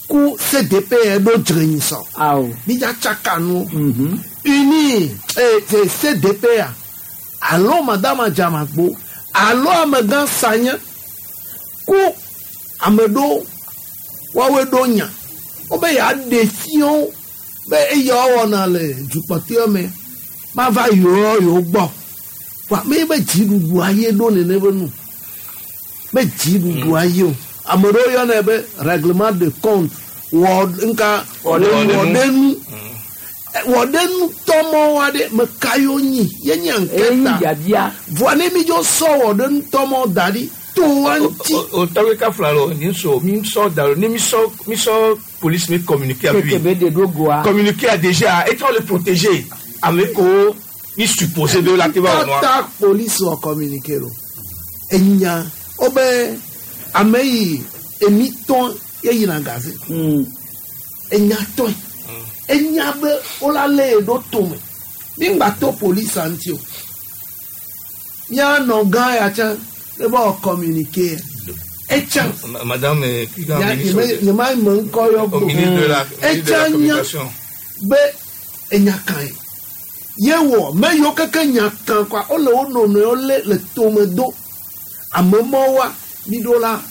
ku CDP ɖo dzrenyisɔ. Awo. Mi dza tsaka nu. Uni CDP a alo madame Adjamagbo alo amegã Sanya ku ame ɖewo woawoe ɖo nya wobe yeaɖe fiawo be eya wɔna le dukpɔtɔe me mava yewo yewo gbɔ wa me be dziɖuɖua ye ɖo nene be nu be dziɖuɖua ye o ame ɖewo yɔnɛ be règlement de compte wɔ nka wɔɖenu wɔɖenu tɔmɔwo aɖe me ka yewo nyi ye nye Eyi anketa biabia. voa ne mi dzo sɔ wɔɖenu tɔmɔ da ɖi to wa ŋuti. O tɔgbe ka fila lo ni so mi sɔ da lo ni mi sɔ mi sɔ police mi communiquer avec Keke lui. be de ɖo goa. Communiquer a déjà et on le protéger ame ko mi supposé be la te va wɔ nua. Tata police wɔ communiqué lo enya wobe ame yi emi tɔn ye yina gaze enya tɔn enya be wola lé ye ɖo tome mi ŋgba to police ŋuti o mianɔ gã ya tsã ne be wɔ communiqué etsã Madame Kigan ministre nye ma me ŋkɔ yɔ au gbɔ ministre de la ministre de etsã la nya communication. be enya kan ye ye wɔ me yiwo keke nya kan kɔa wole wo nɔnɔewo lé le tome do ame mɔwoa mi ɖo la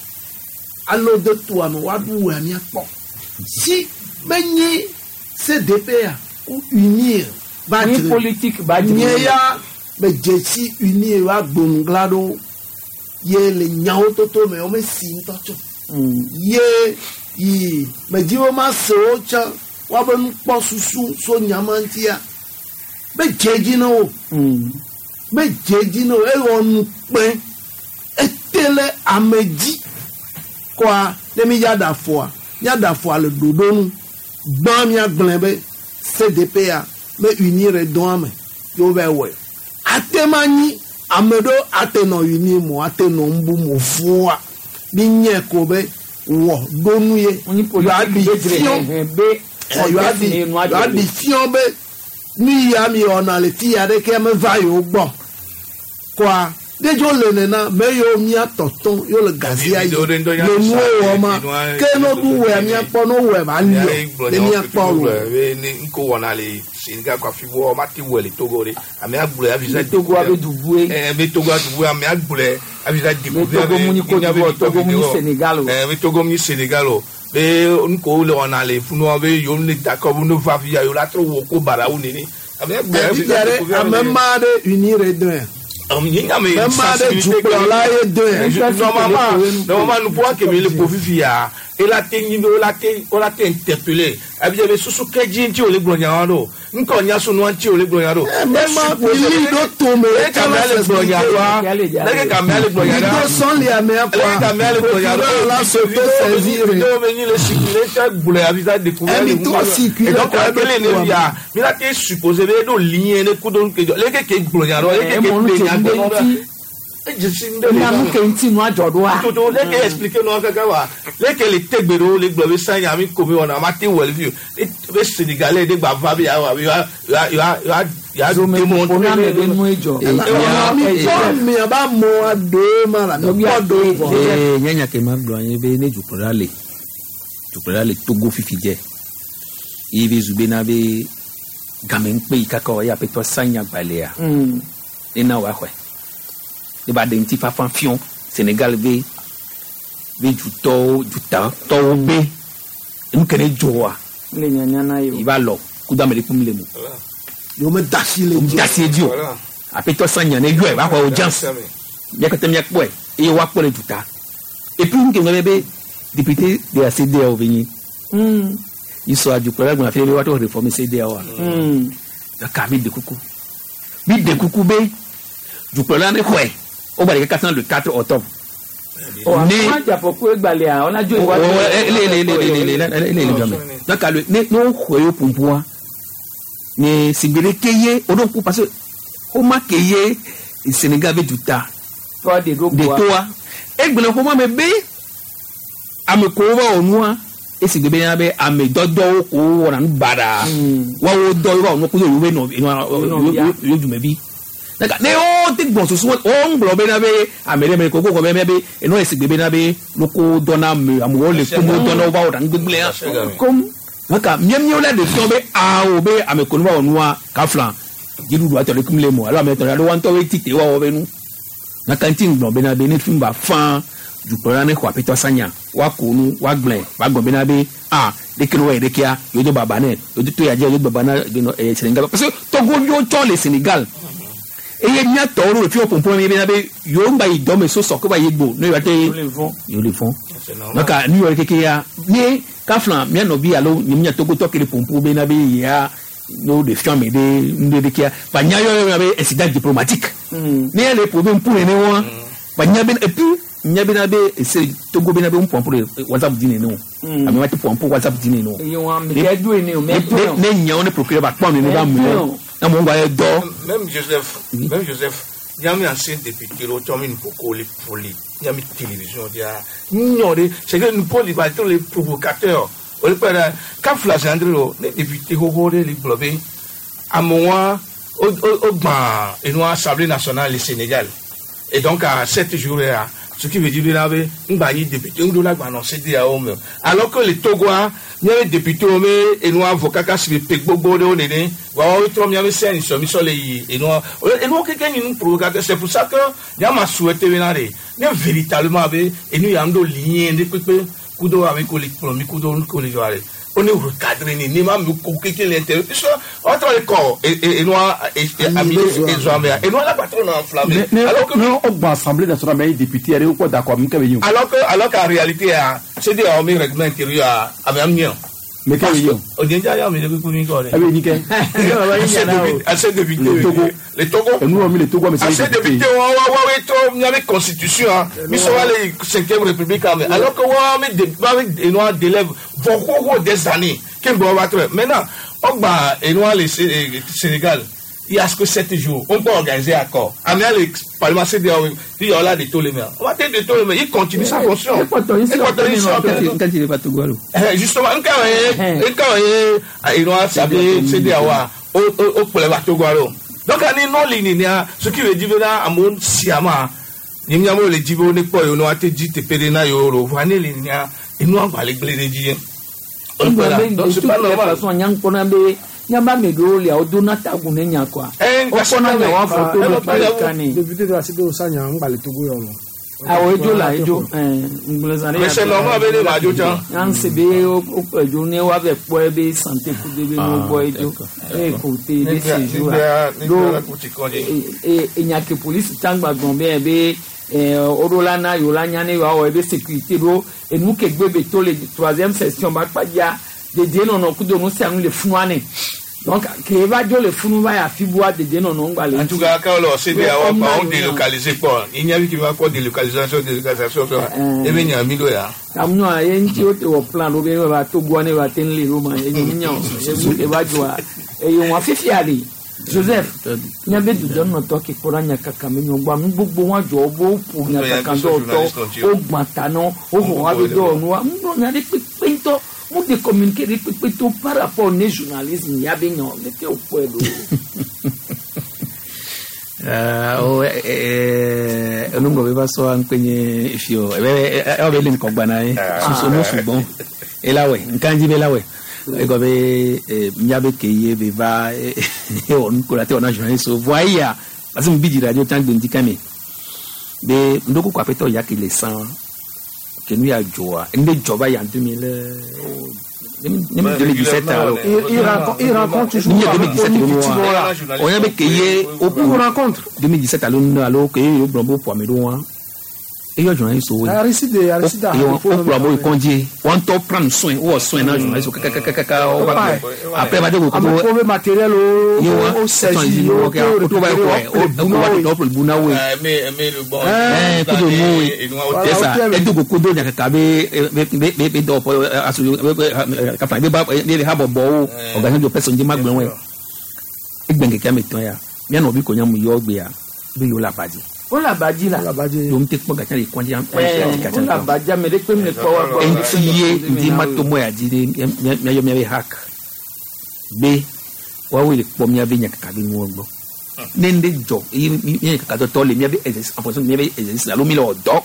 alo de toa me woaɖu wea miakpɔ si menyi CDP a ku unir va Ni dzre politique ba dzre. nye ya me dzesi unir va gbonugla ɖo ye le nyawo toto me wo me si ŋutɔ tso ye yi me dzi be ma se wo tsã woabe nukpɔsusu so nyama ŋutia be dze dzi na wo be dze dzi na wo ewɔ nu kpẽ ete le ame dzi kɔa ne mi ya da fɔa mía da fɔa le ɖoɖo nu gbã míagblẽ be CDP a be unir dɔa me ye wo va wɔe ate ma nyi ame ɖewo ate nɔ unir mo ate nɔ ŋbu mo fua mi nye ko be wɔ ɖo nu ye politique be dzre yewoaɖi hɛhɛ be yewoaɖi yewoaɖi fiɔ be nu ya mi wɔna le fi ya ɖeke meva yewo gbɔ kɔa ne dzo le nena me yiwo mía tɔtɔ yewo le gazia yi le nuwo wɔ ma ke ne ɖu wɔa míakpɔ ne wɔe ba liɔ ne míakpɔ lo. Nko wɔna le Senegal kɔ afi wɔ ma ti wɔ le Togo de ame agblɔe avisa. Togo abe dubue. Ɛɛ be Togo abe ame agblɔe avisa Be Togo mu ni Côte d'Ivoire, Togo mu ni Sénégal o. Ɛɛ be Togo mu ni Sénégal o. Be nko le wɔna le funua be yewo ne d'accord be ne va fi ya yewo la trɔ wɔ ko barawo nene. Ame agblɔe Ɛvi fia ɖe ame ma ɖe unir dɔn ame ma ɖe dukplɔla ye dɔn normalement normalement nupoa kemi le ƒo fifi ya Ela te nyi be wola te wola te interpeller. Ebi be susu ke dzi ŋuti wòle gblɔ nya wa ɖo. Ŋkɔ nya so nua ŋuti wòle gblɔ nya ɖo. Mema bili ɖo tome. Leke kamea le gblɔ nya ɖoa? Leke kamea le gblɔ nya ɖoa? Ɖo sɔli amea kɔa. Leke kamea le gblɔ nya ɖoa? Procureur la s'auto-saisir. Vidéo be nyi le circuler tse gblɔe afi sa découvert le Emi trɔ circuler Et donc kɔ kele ɖo ne ya mi la te supposer be eɖo lien ne kudo nu ke dzɔ. Leke ke gblɔ nya ɖoa? Leke ke Emɔ nu ƒle tse nya ŋde gblɔ ɖoa? ŋuti. Edzesi ŋde le Nya nu ke ŋuti nua dzɔ ɖoa. Toto leke expliquer nua kaka wa leke le tegbe ɖewo le gblɔ be sanya mi ko mi wɔna ma te wɔ le fi o be Sénégalais ɖe gba va be ya wa ya ya ya ya ya démontrer Ona me be nue dzɔ. Mi kpɔ miaba mɔa do ma la mi kpɔ do vɔ. Ee, nye nya ke ma gblɔ anyi be ne dukplɔla le dukplɔla le Togo fifi dze ye be zu bena be game ŋkpe yi kaka wɔ ye aƒetɔ sanya gbalẽa ne na wòaxɔe ne ba ɖe ŋutifafa fiɔ Sénégal be be dutɔwo dutatɔwo be enu ke ne dzɔa Le nyanya na ye o. yi va lɔ kudo ame ɖe kpem le mo. Yewo me da asi le dzi. Da asi dzi o aƒetɔ sanya ne yɔe va xɔ audience mía katã míakpɔe eye woakpɔ le duta et puis nu ke ŋlɔ be député de la CEDEAO be nyi yi sɔ adukplɔla gblɔ afi ɖe be woatrɔ réformer CEDEAO a mi de kuku mi de kuku be dukplɔla ne xɔe wo gba ɖe kaka le 4 octobre. Ne adzafɔku egbalẽa ɔna dzo Oh, oh, eh, le le le le le le le le le le donc le ne ne woxɔe yo pumpoa ne sigbere ke ye o ɖo ŋku parce que xɔma ke ye Sénégal be duta Tɔ de ɖo de toa egblẽ xɔma me be ame kowo va wɔ nua esi gbe bena be ame dɔdɔwo kowo wɔna nu baɖa woawo dɔ ye va wɔ nu kudo yewo be nɔ yewo dumevi ne wo te gbɔn susu wo ŋgblɔ bena be ame ɖe me ko ko bena be enɔ esi gbe bena be loko dɔna ame amewo le komo dɔna wo va wɔ nu gbegblẽa kom maka miamiwo la de fiɔ be awo be ame ko nu va wɔ nua kafla dziɖuɖu atɔ ɖe kum le mo alo ame tɔ ɖe alo wa ŋutɔ be tite wa wɔ be nu maka ŋuti ŋgblɔ bena be ne fi ba fã dukplɔla ne xɔ aƒetɔ sanya woako nu woagblẽ woagblɔ bena be a ɖeke ne wɔyɛ ɖekea yewo do baba nɛ yewo do to ya dzi yewo do baba na Sénégal parce que Togoviwo tsɔ le Sénégal eye míatɔwo ɖo le fi wɔ pɔmpɔn mi bena be yewo ŋgba yi dɔme so sɔ ko va yi gbo ne yewoa te yewo le vɔn donc nu yɔ keke ya ne kafla mía nɔvi alo nye mía Togotɔ ke le pɔmpɔ bena be yea ne wo ɖe fiɔ ame ɖe nu ɖe ɖekea ba nya yɔ yɔ be incident diplomatique ne ye le ƒo be ŋku nene wa ba nya be et puis nya bena be ese Togo bena be ŋu pɔmpɔ ɖe WhatsApp dzi nene o ame ma te pɔmpɔ WhatsApp dzi nene o Eye wɔn ame ke do ene o mɛ to yɛ o. ne nyawo ne procureur ba kpɔ nene ba mu ne amewo gba ye dɔ. Même Joseph, même Joseph, nyami ancien député lo tɔmi nu koko le poli, nyami télévision dia, nyɔ de, c'est que nous poli ba to les provocateurs. O le kpɛ dɛ, kafla sandre lo, ne député xoxo de le gblɔ be, amewa o o o gbã enua Assemblée nationale le Sénégal. Et donc à 7 jours là, ce qui veut dire là be ŋgba nyi député ŋdo la gba nɔ CEDEAO me. Alors que le Togoa, miabe député wo me enua avocat kaka si pe gbogbo ɖewo nene, wa wo trɔ miabe sɛn sɔmisɔ le yi enua enua keke nyi nu provocateur. C'est pour ça que nyama souhaité bena de ne véritablement be enu ya ŋdo lien ɖe kpekpe kudo ame ko le kplɔ mi kudo nu ko le dzɔ ale. On est recadré ni ni ma mi ko keke le intérêt puisque on trɔ le kɔ enua ami ezoa mea enua la patron na enflammé. Alors que ne o gbɔn assemblée nationale mais député yɛrɛ o kɔ d'accord min kɛ bɛ yen o. Alors qu'en réalité ah CEDEAO mi règlement intérieur ah ame am ɲɛ. Mais kɛ bɛ yen o. O jɛnjɛ y'a mi de ko mi kɔ dɛ. A bɛ nin kɛ. Assez député. Le Togo. Le Togo. Enu mi le Togo mais c'est Assez député wa wa wa we to mi ame constitution ah mi sɔ wa le cinquième république ah mais alors que wa mi de wa mi enua délève vɔ des années kí n bɔ wa trɔ maintenant ɔgba enua le Sénégal il y a que 7 jours on peut organiser accord ame le parlement CEDEAO il y a là de tous les maires on va te de tous les maires il continue sa fonction. Justement nka ye enua sabi CEDEAO wa o o kplɛ va Togo alo donc ani nɔ li nenia ce qui veut dire bena amewo siama nye miawo le dzi be wo ne kpɔ yewo ne woate dzi teƒe ɖe na yewo lo vɔa ne li nenia enua gba le gblẽ ɖe dzi ye. Donc c'est pas normal. Nyankpɔna be nyaba ame ɖewo lia wo dona tagu ne nya kɔa. Wokpɔna nya wa fɔ to ɖe kpa ɖeka ne. Député de la CEDEAO sanya ŋgba le Togo yɔ lɔ. Awɔ edzo la edzo ŋgblẽ zã ɖe. Mais c'est normal be ne ma dzo tsã. Nyanse be wo edzo ne woave kpɔe be santé kudo be no gbɔ edzo. Eye ko te be séjour la. Do enya ke polisi tsã gba gblɔ be be Woɖo la na yewo la nya ne yewoawɔ ebe sécurité ɖo enu ke gbe be to le troisième session ba kpadza dedienɔnɔ kudo nu sia nu le funua ne. Donc ke va dzo le funu va yi afi bua dedienɔnɔ ŋgba le. En tout cas, quand on CEDEAO, on délocalisé quoi. Il n'y a qui va quoi délocalisation, délocalisation, ça. Et bien, il y a un million. Amunɔ ye ŋuti wo te wɔ plan ɖo be ne va Togoa ne va te ŋu le ɖo ma ye nye o ye va dzɔa eye wɔn fifia ɖe Joseph míabe dudɔnɔtɔ ke kpɔ ɖe nyakaka me nyɔgbɔ nu gbogbo wa dzɔ wo ƒo nyakaka dɔwɔtɔ wo gbã ta nɔ wo xɔ wa be dɔwɔnuwa ŋgblɔ nya ɖe kpekpe ŋutɔ mu de communiqué ɖe kpekpe to par rapport ne journalisme ya be nya leke wo kpɔe ɖo. Enugɔ be va sɔ ŋkpenye fio ebe ewɔ be le ŋkɔgba na ye susu nu sugbɔn ela wɛ nkanji be la wɛ egɔ be miabe ke ye be va ewɔ nuko la te wɔ na journaliste o voa eya parce que mi bi dzi radio tsã gbe ŋdi kame be ŋdoko ko aƒetɔ ya ke le sã ke nu ya dzɔa nu ɖe dzɔ va ya en 2017 alo. Il rencontre toujours. Ni 2017 alo wa. O ya be ke ye o Il rencontre. 2017 alo nu alo ke ye o gblɔ be o ƒo ame ɖo wa. Eyɔ journaliste wo. Aristide Aristide. Ye o kplɔ amewo yi kɔndzi. Wɔn ŋutɔ prendre soin wowɔ soin na journaliste wo kakakakaka wo va gblɔ. Après va de ko Ame ko be matériel o ye wa o saisi o kɛ o to va yi kɔ o o wa tɔ bu na wo ye. Mais le bon. Kudo nu ye. Yesa edo ko kudo nyakaka be be be be dɔwɔƒe aso be kafa be ba be habɔbɔwo organisation de personne dzi ma gblɔ wɔe. Egbe ŋkeke ame etɔ̃ ya mía nɔvi ko nya mu yɔ gbea be yewo le aba dzi. O le aba dzi la. Yewo ŋute kpɔ gatsa le kɔndzi O le aba dzi ame ɖe kpe mi le kpɔ wa gbɔ. Eŋuti ye ŋdi ma to mɔ ya dzi ɖe míayɔ míabe hack be woawoe le kpɔ míabe nyakaka be nuwo gbɔ. Ne ŋɖe dzɔ eye mía nyakaka dɔtɔ le míabe exercice en fonction de míabe exercice alo mi le wɔ dɔ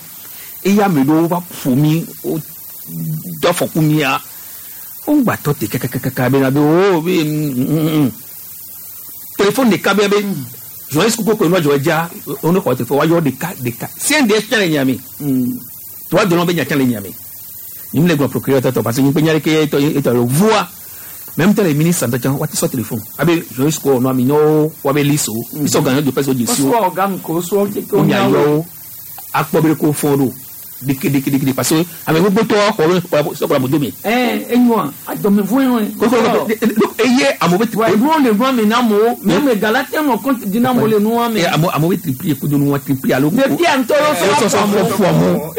eye ame ɖewo va ƒo mi wo do afɔku mía wo ŋgba tɔ te kakakaka bena be o be téléphone ɖeka be be journaliste koko ko nua dzɔ dza wo ne xɔ téléphone woayɔ ɖeka ɖeka CNDS tsã le Niamey toa dɔnɔ be nya tsã le Niamey nyim le gblɔ procureur tɔtɔ parce que nyim ƒe nya ɖeke etɔ etɔ le voa même temps les ministres ŋutɔ tsã woate sɔ téléphone abe journaliste ko nɔ ami nyɔwo woabe liste wo misɔ gã de presse wo dzesi wo Wosɔ organe ko wosɔ tete wo mia yɔ wo akpɔ be ɖeke wo fɔn ɖo ɖeke ɖeke ɖeke parce que ame gbogbo tɔ xɔ be sɔkɔ la moto me. Ɛɛ enyoa adɔmevɔe wɔe. Koko eye amewo be Wa enuwo le nua me na amewo mais ame gala te nɔ compte di na amewo le nua me. Amewo be triplier kudo nua triplier alo. Depuis ŋutɔ ye wosɔ sɔ ƒo amewo.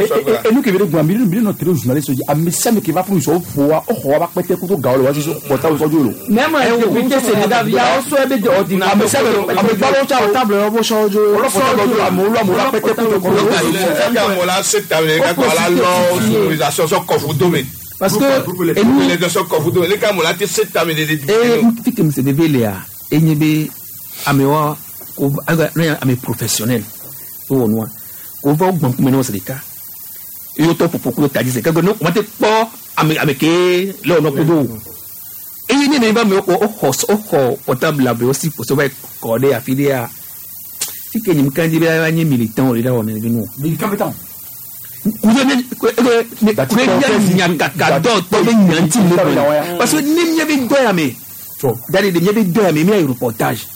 Enu ke be ɖe gblɔ mi mi nɔ tele journaliste dzi ame sia ame ke va ƒo sɔ ƒo wa woxɔ wa ba kpɛtɛ kudo gawo le wa sisi portable sɔ dzo lo. Même député Sénégal via wosɔ ebe de ordinateur. Ame sia ame ame gbalo tsa o. Portable yɔ bo sɔ dzo. Wòlɔ portable dzo amewo lɔ amewo la kpɛtɛ kudo kɔ. Parce que enu fi ke mise veve lea enye be amewo ko ne ame professionnel wowɔ nua ko va wo gbɔn kume ne wo se ɖeka eye wotɔ ƒoƒo kudo ta dzi se keke ne wo te kpɔ ame ame ke le wònɔ kudo o eye ne ne va me wo xɔ wo xɔ portable la be wo si kpɔsɔ va yi kɔ ɖe afi ɖea fi ke nyim kan dzi be ava nye militant wo le ɖe wɔ ne nu o. Militant bɛ kudo ne ne ne nyakaka dɔ tɔ be nya ŋuti le gblɔ parce que ne mía be dɔ ya me da de mía be dɔ ya me mía yi reportage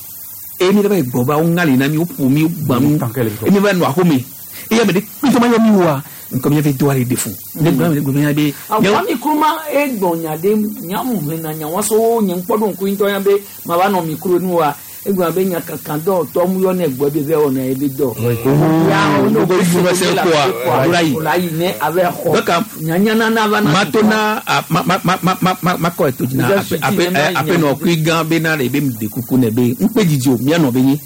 eye mi va yi gbɔ va wo ŋa le na mi wo ƒo mi wo gbã mi eye mi va nɔ axome eye ame ɖe kpetɔ ma yɔ mi woa ŋkɔ mía be dɔa le de fún ne gblɔ ne gblɔ mía be. Awɔ mi kuruma egbɔ nya ɖe nyamu hlena nya wa so nye ŋkpɔ ɖo ŋku ŋutɔ ya be ma va nɔ mi kuro nu wa egblɔ be nyakaka dɔ tɔ mu yɔ ne gbɔ be vɛ wɔna ye be dɔ. Ya wo ne Gbogbo ifu se koa o la yi. O la yi ne a bɛ xɔ. Donc Nyanyanana va na. matona a ma ma ma ma ma ma ma kɔ eto dzi na Déjà, ape ape suti ne ma ape nɔ kui gã be na le be de kuku ne be ŋkpe dzidzi o mía nɔ be nyi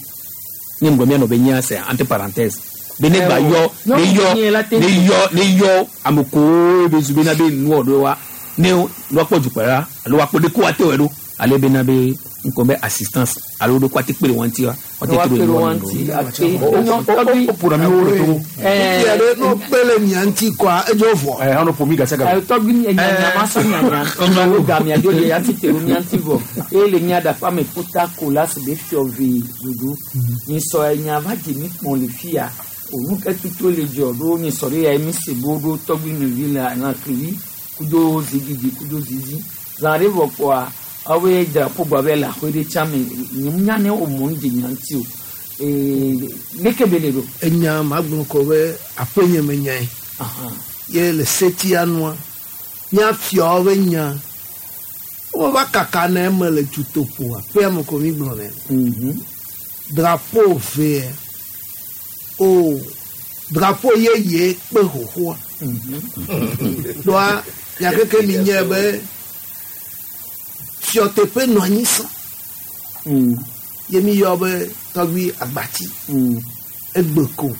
nye ŋgɔ mía nɔ be nyi c'est entre parenthèses be ne gba yɔ ne yɔ ne yɔ ne yɔ ame kowo be zu be na be nuwɔ ɖo wa ne woakpɔ dukplɔla alo woakpɔ ɖe ko woate wɔ ɖo ale be na be ŋkɔ be assistance alo ɖo ko ate kpe ɖe wɔn ŋuti wa woate Wa to kpe ɖe ɖe wɔn wɔn ŋuti. ŋuti ate. Tɔgbi. O ƒona mi wo le Togo. Fifia ɖe n'o kpe le mia ŋuti kɔa edzo vɔ. Ɛ hã no ƒo mi gasi gasi. Tɔgbi nyanya ma sɔ nyanya. Wo gamia dzo le ya ti te ɖo mía ŋuti vɔ. Eye le mía ɖaƒe ame kpota ko la si be fiɔvi ɖuɖu. Nyisɔ enya va dze mi kpɔn le fia. Òun ke tutu le dzɔ ɖo nyisɔ ɖe ya mi se bo ɖo tɔgbi nɔvi le lãklivi kudo zigidi kudo zizi. Zã ɖe vɔ kpɔa awoe drapeau gba be le aƒe ɖe tsã me. Nye mu nya ne wo mɔ nu dze nya ŋuti o. Leke be le ɖo. Enya magblɔ kɔ be aƒenye me nyae. Ye le setia nua, míafiawo be nya wova kaka na eme le dutoƒo aƒea me ko mi gblɔ nɛ. Drapeau vea o drapeau yeye kpe xoxoa. Ɖoa nyakeke mi nye be fiɔteƒe nɔ anyi sã. Ye mi yɔ be tɔgbi agbati. Egbe ko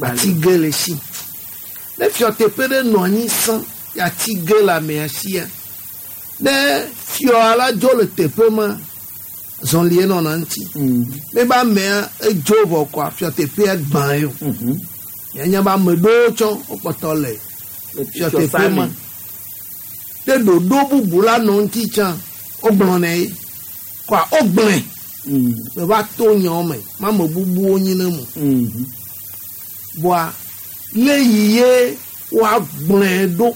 ati ge le si. Ne fiɔteƒe ɖe nɔ anyi sã ya ati ge le amea sia. Ne fiɔa la dzo le teƒe ma zɔlie nɔna ŋuti. Ne be amea edzo vɔ kɔa fiɔteƒea gbã ye o. Mianya be ame ɖewo tsɔ wokpɔtɔ le fiɔteƒe ma. Ne ɖoɖo bubu la nɔ ŋuti tsã wogblɔ nɛ ye. Kɔa wogblɔe. Me va to nyawo me ma ame bubuwo nyi ne mo. Bɔa le yi ye woagblɔe ɖo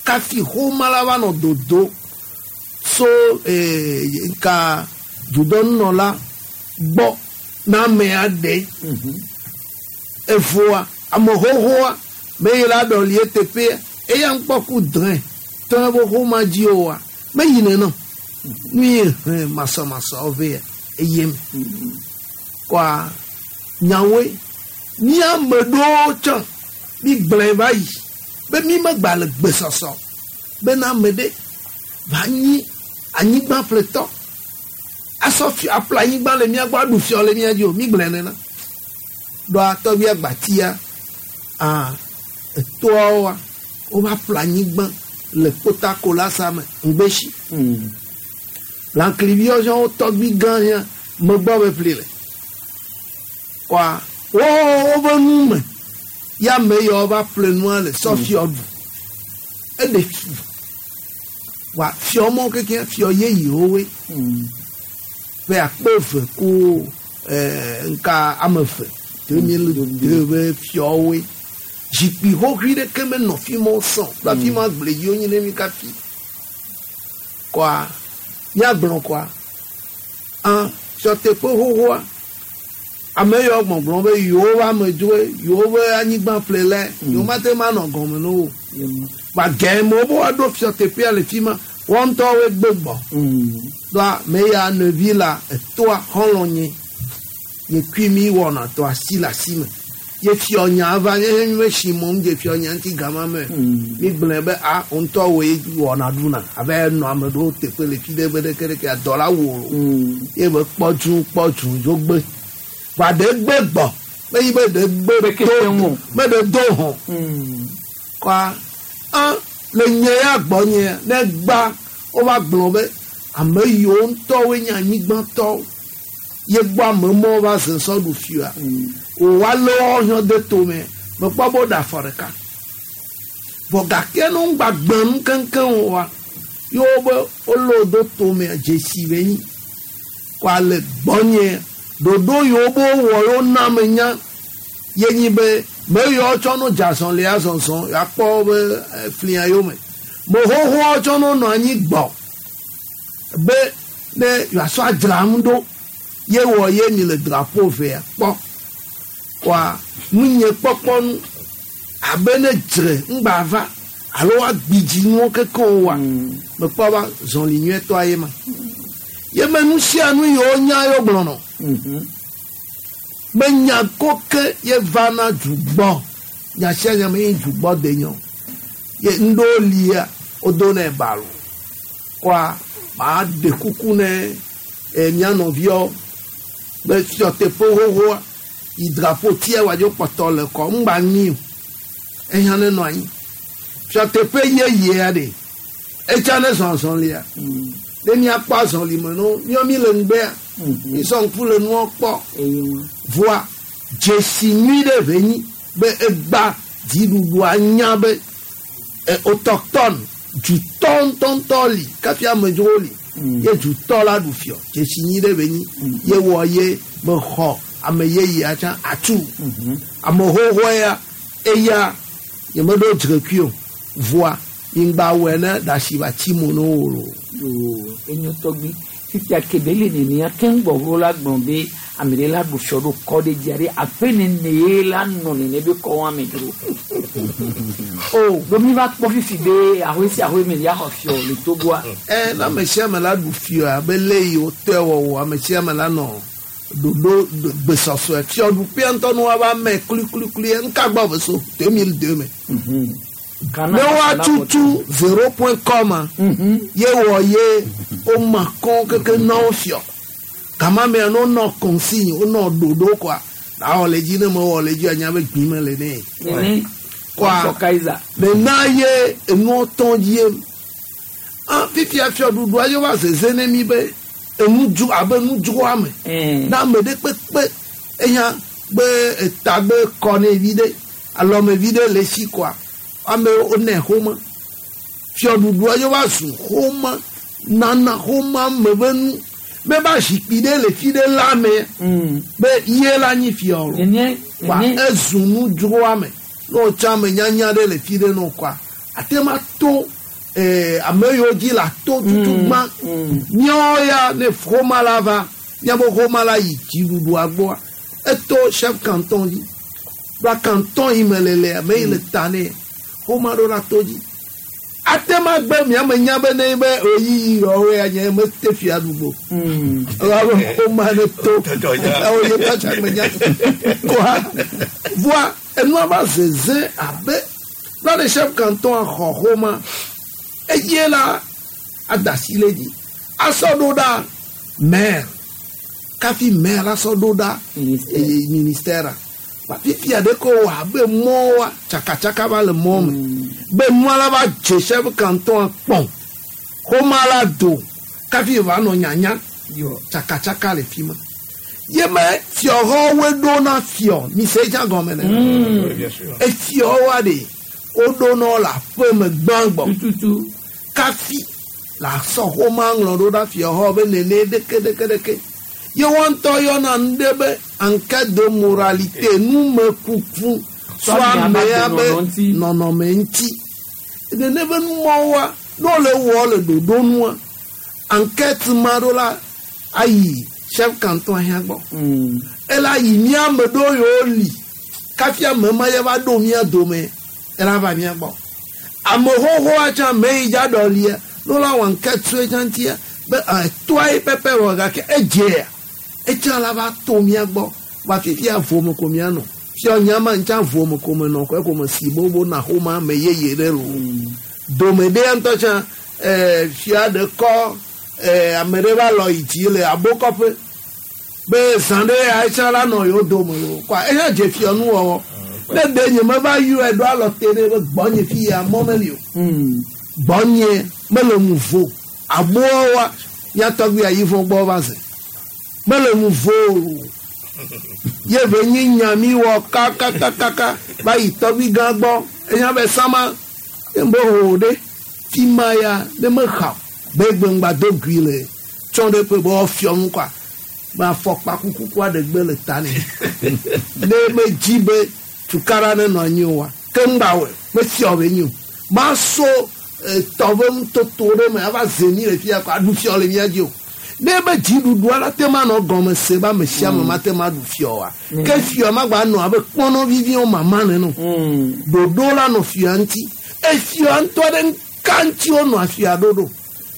kafi xoma la va nɔ dodo so nka dudɔnunɔla gbɔ na amea ɖe. Evoa ame xoxoa me yi la ɖɔli eteƒea eya ŋkpɔ ku drẽ tɔ be xoma dzi oa me yi nenɔ. Nu yi he masɔmasɔ vea eye me. Kɔa nyawoe mía ame ɖewo tsã mi gblɔe va yi be mi megba le gbesɔsɔ bena ame ɖe va nyi anyigba ƒletɔ asɔ fi aƒle anyigba le mía gbɔ aɖu fiɔ le mía dzi o mi gblɔe nena. Ɖoa tɔgbi agbatia a etoawoa wova ƒle anyigba le kpotakola sa me ŋgbesi. Lãkliviwo tsã wo tɔgbi gã hã megbɔ be ƒli le. Kɔa wo woƒe nu me ya ame yawo va ƒle nua le sɔ fiɔ ɖu. Eɖe fu. Wa fiɔ mɔ keke fiɔ yeyewo woe. Ƒe akpe eve ku nka ame eve 2002 be fiɔwoe. Zikpui xoxoe ɖeke menɔ fi ma wosɔ. Ɖo afi ma gble dziwo nyi ne mi kafi. Kɔa míagblɔ kɔa a fiɔteƒe xoxoa ame yawo gbɔgblɔ be yewo va amedzroe yewo be anyigba ƒle lɛ yewo mate ma nɔ gɔme na wo. Wa gɛmɛ wo be woaɖo fiɔteƒea le fi ma wɔn ŋutɔwoe gbe gbɔ. Ɖoa me ya nevi la etoa xɔlɔ̃ nye nye kui mi wɔna tɔ asi le asi me. Ye fiɔ nya va nye mi me si mɔ ŋdze fiɔ nya ŋuti gama me. Mi gblɔe be a ŋutɔ woe wɔna ɖuna abe nɔ ame ɖewo teƒe le fi ɖe be ɖeke ɖeke adɔ la wò. Ye be kpɔ dzu kpɔ dzu dzo gbe. Va ɖe gbe gbɔ. Me yi be ɖe gbe do me ɖe do hɔn. Kɔa a le nye ya gbɔ nye ne gba wova gblɔ be ame yiwo ŋutɔwoe nye anyigbatɔwo ye gbɔ ame mɔwo va ze sɔ ɖu fia. O wa lé woawo hã de tome mekpɔ be woɖe afɔ ɖeka. Vɔ gake ne ŋgba gbe nu keŋkeŋ oa yewo be wolé wo do tome dzesi be nyi. Kɔa le gbɔnye ɖoɖo yiwo be wowɔ yewo na me nya ye nyi be me yiwo tsɔ no dze azɔlia zɔzɔ yeakpɔ be flia yome. Me xoxoawo tsɔ no nɔ anyi gbɔ be ne yewoasɔ adzra nu ɖo ye wɔ ye mi le drapeau vea kpɔ. Kɔa nunye kpɔkpɔ nu abe ne dzre ŋgba va alo woagbidzi nuwo kekeŋ woa mekpɔ ba zɔli nyuietɔa ye ma. Ye me nu sia nu yiwo nya yewo gblɔnɔ. Be nya ko ke ye va na dugbɔ nya sia nya me ye dugbɔ de nyɔ. Ye ŋɖewo lia wodo nɛ balo. Kɔa maa ɖe kuku ne mía nɔviawo be fiɔteƒe xoxoa yi drapeau tia wòadzo kpɔtɔ le kɔ ŋgba nyi o. Ehiã ne nɔ anyi. Fiɔteƒe yeyea ɖe etsa ne zɔzɔlia. Ne míakpɔ azɔli me no míɔ mi le ŋgbea. Mi sɔ ŋku le nua kpɔ. Voa dzesi nyui ɖe ve nyi be egba dziɖuɖua nya be autochtone dutɔ ŋutɔŋutɔ li kafi amedzrowo li. Ye dutɔ la ɖu fiɔ dzesi nyui ɖe ve nyi. Ye wɔ ye mexɔ ame yeyea tsã atu. Ame xoxoa ya eya nyemeɖo dzrekui o. Voa ŋgba wɔe ne ɖasi va tsi mo ne wo o. Enyo tɔgbi fifia kebe le nenea keŋ gbɔgbɔ la gblɔ be Ame ɖe la ɖu fiɔ ɖo kɔ ɖe dzia ɖe aƒe nene ye la nɔ nene be kɔ wɔn ame dzro. O ɖo mi va kpɔ fifi be ahoe sia ahoe me ya xɔ fiɔ le Togoa. Ɛ na ame sia ame la ɖu fiɔ abe le yi wotɔe wɔwɔ ame sia ame la nɔ ɖoɖo gbesɔsɔe fiɔɖuƒea ŋutɔ nu woava mɛ klikulikuli ŋka gbɔ ve so 2002 me. Ne woatutu zero point com ye wɔ ye woma kɔn keke na wo fiɔ. Gama mea ne wonɔ consigne wonɔ ɖoɖo kɔa awɔ le dzi ne mewɔ le dzi anya be gbi me le ne. Nene. Kɔa Kaiser. nena ye enuɔ tɔn dzie. Ah fifia fiɔɖuɖua ye va zeze ne mi be enu dzu abe nudzroa me. Na ame ɖe kpekpe eya be etagbe kɔ ne vi ɖe alɔme vi ɖe le si kɔa amewo wonɛ xome. Fiɔɖuɖua ye va zu xome nana xome me be nu be ba zikpui ɖe le fi ɖe la me be ye la nyi fiɔ o. Kɔa ezu nudzroa me ne wotsa ame nyanya ɖe le fi ɖe ne wokɔa ate ma to ame yiwo dzi le ato tutu gbã míawo ya ne xɔma la va míaƒe xɔma la yi dziɖuɖua gbɔa eto chef canton dzi va canton yi me le le ame yi le ta nɛ xɔma ɖo la to dzi ate ma gbe miame nya be ne be oyiyi yɔwoe ya nye mete fia ɖugbo elabe xɔma ne to ewo ye tɔtsa me nya koa voa enua va zeze abe va le chef canton xɔ xɔma eye la adasi le dzi asɔ ɖo ɖa maire kafi maire asɔ ɖo ɖa ministère ba fifia ɖe ko wɔ abe mɔwa tsakatsaka va le mɔ me be nua la va dze chef canton kpɔn xɔma la do kafi va nɔ nyanya tsakatsaka le fi ma ye me fiɔxɔwoe ɖo na fiɔ mi se dza gɔme ne efiɔwoa ɖe woɖo nɔ le aƒe me gbãgbɔ kafi le asɔ xɔma ŋlɔ ɖo ɖa fiɔxɔ be nene ɖeke ɖeke ɖeke ye wɔn ŋutɔ yɔna nu ɖe be enquête de moralité numekuku so amea be nɔnɔme ŋuti nene be numɔwoa ne wole wɔ le ɖoɖo nua enquête ma ɖo la ayi chef canton hã gbɔ ela yi mía ame ɖewo yiwo li kafi ame ma ya va ɖo mía dome ela va mía gbɔ ame xoxoa tsã ame yi dza ɖɔlia ne wola wɔ enquête so etsã ŋutia be etoa ye pɛpɛ wɔ gake edzea etsã la va to mía gbɔ va fifia vome ko mía nɔ fiɔ nyama ŋtsã vome ko me nɔ kɔ ko me si bobo na xɔma ame yeye ɖe lo dome ɖea ŋutɔ tsã fia ɖe kɔ ame ɖe va lɔ yi dzi le abokɔƒe be zã ɖe ya etsã la nɔ yewo dome o kɔa eya dze fiɔ nuwɔwɔ ne ɖe nye me va yɔe ɖo alɔ te ɖe be gbɔnye fi ya mɔ meli o gbɔnye mele ŋu vo aboa mía tɔgbi ayivɔ gbɔ va ze mele ŋu vo o ye ve nyi nya mi wɔ kakakakaka va yi tɔgbi gã gbɔ enya be sama ye be ho ɖe fi ma ya ne mexa be gbe do gui le tsɔ ɖe ƒe be wofiɔ nu kɔa me afɔkpa kuku aɖe gbe le ta nɛ ne medzi be tukaɖa ne nɔ anyi oa ke ŋgba wɔe mefiɔ be nyi o maso tɔ be nutoto ɖe me ava ze mi le fia kɔ aɖu fiɔ le mía dzi o ne be dziɖuɖua la te ma nɔ gɔme se be ame sia ame ma te ma ɖu fiɔ oa ke fiɔ ma gba nɔ abe kpɔnɔ viviwo mama nene o ɖoɖo la nɔ fia ŋuti efia ŋutɔ ɖe ŋka ŋuti wonɔ afia ɖoɖo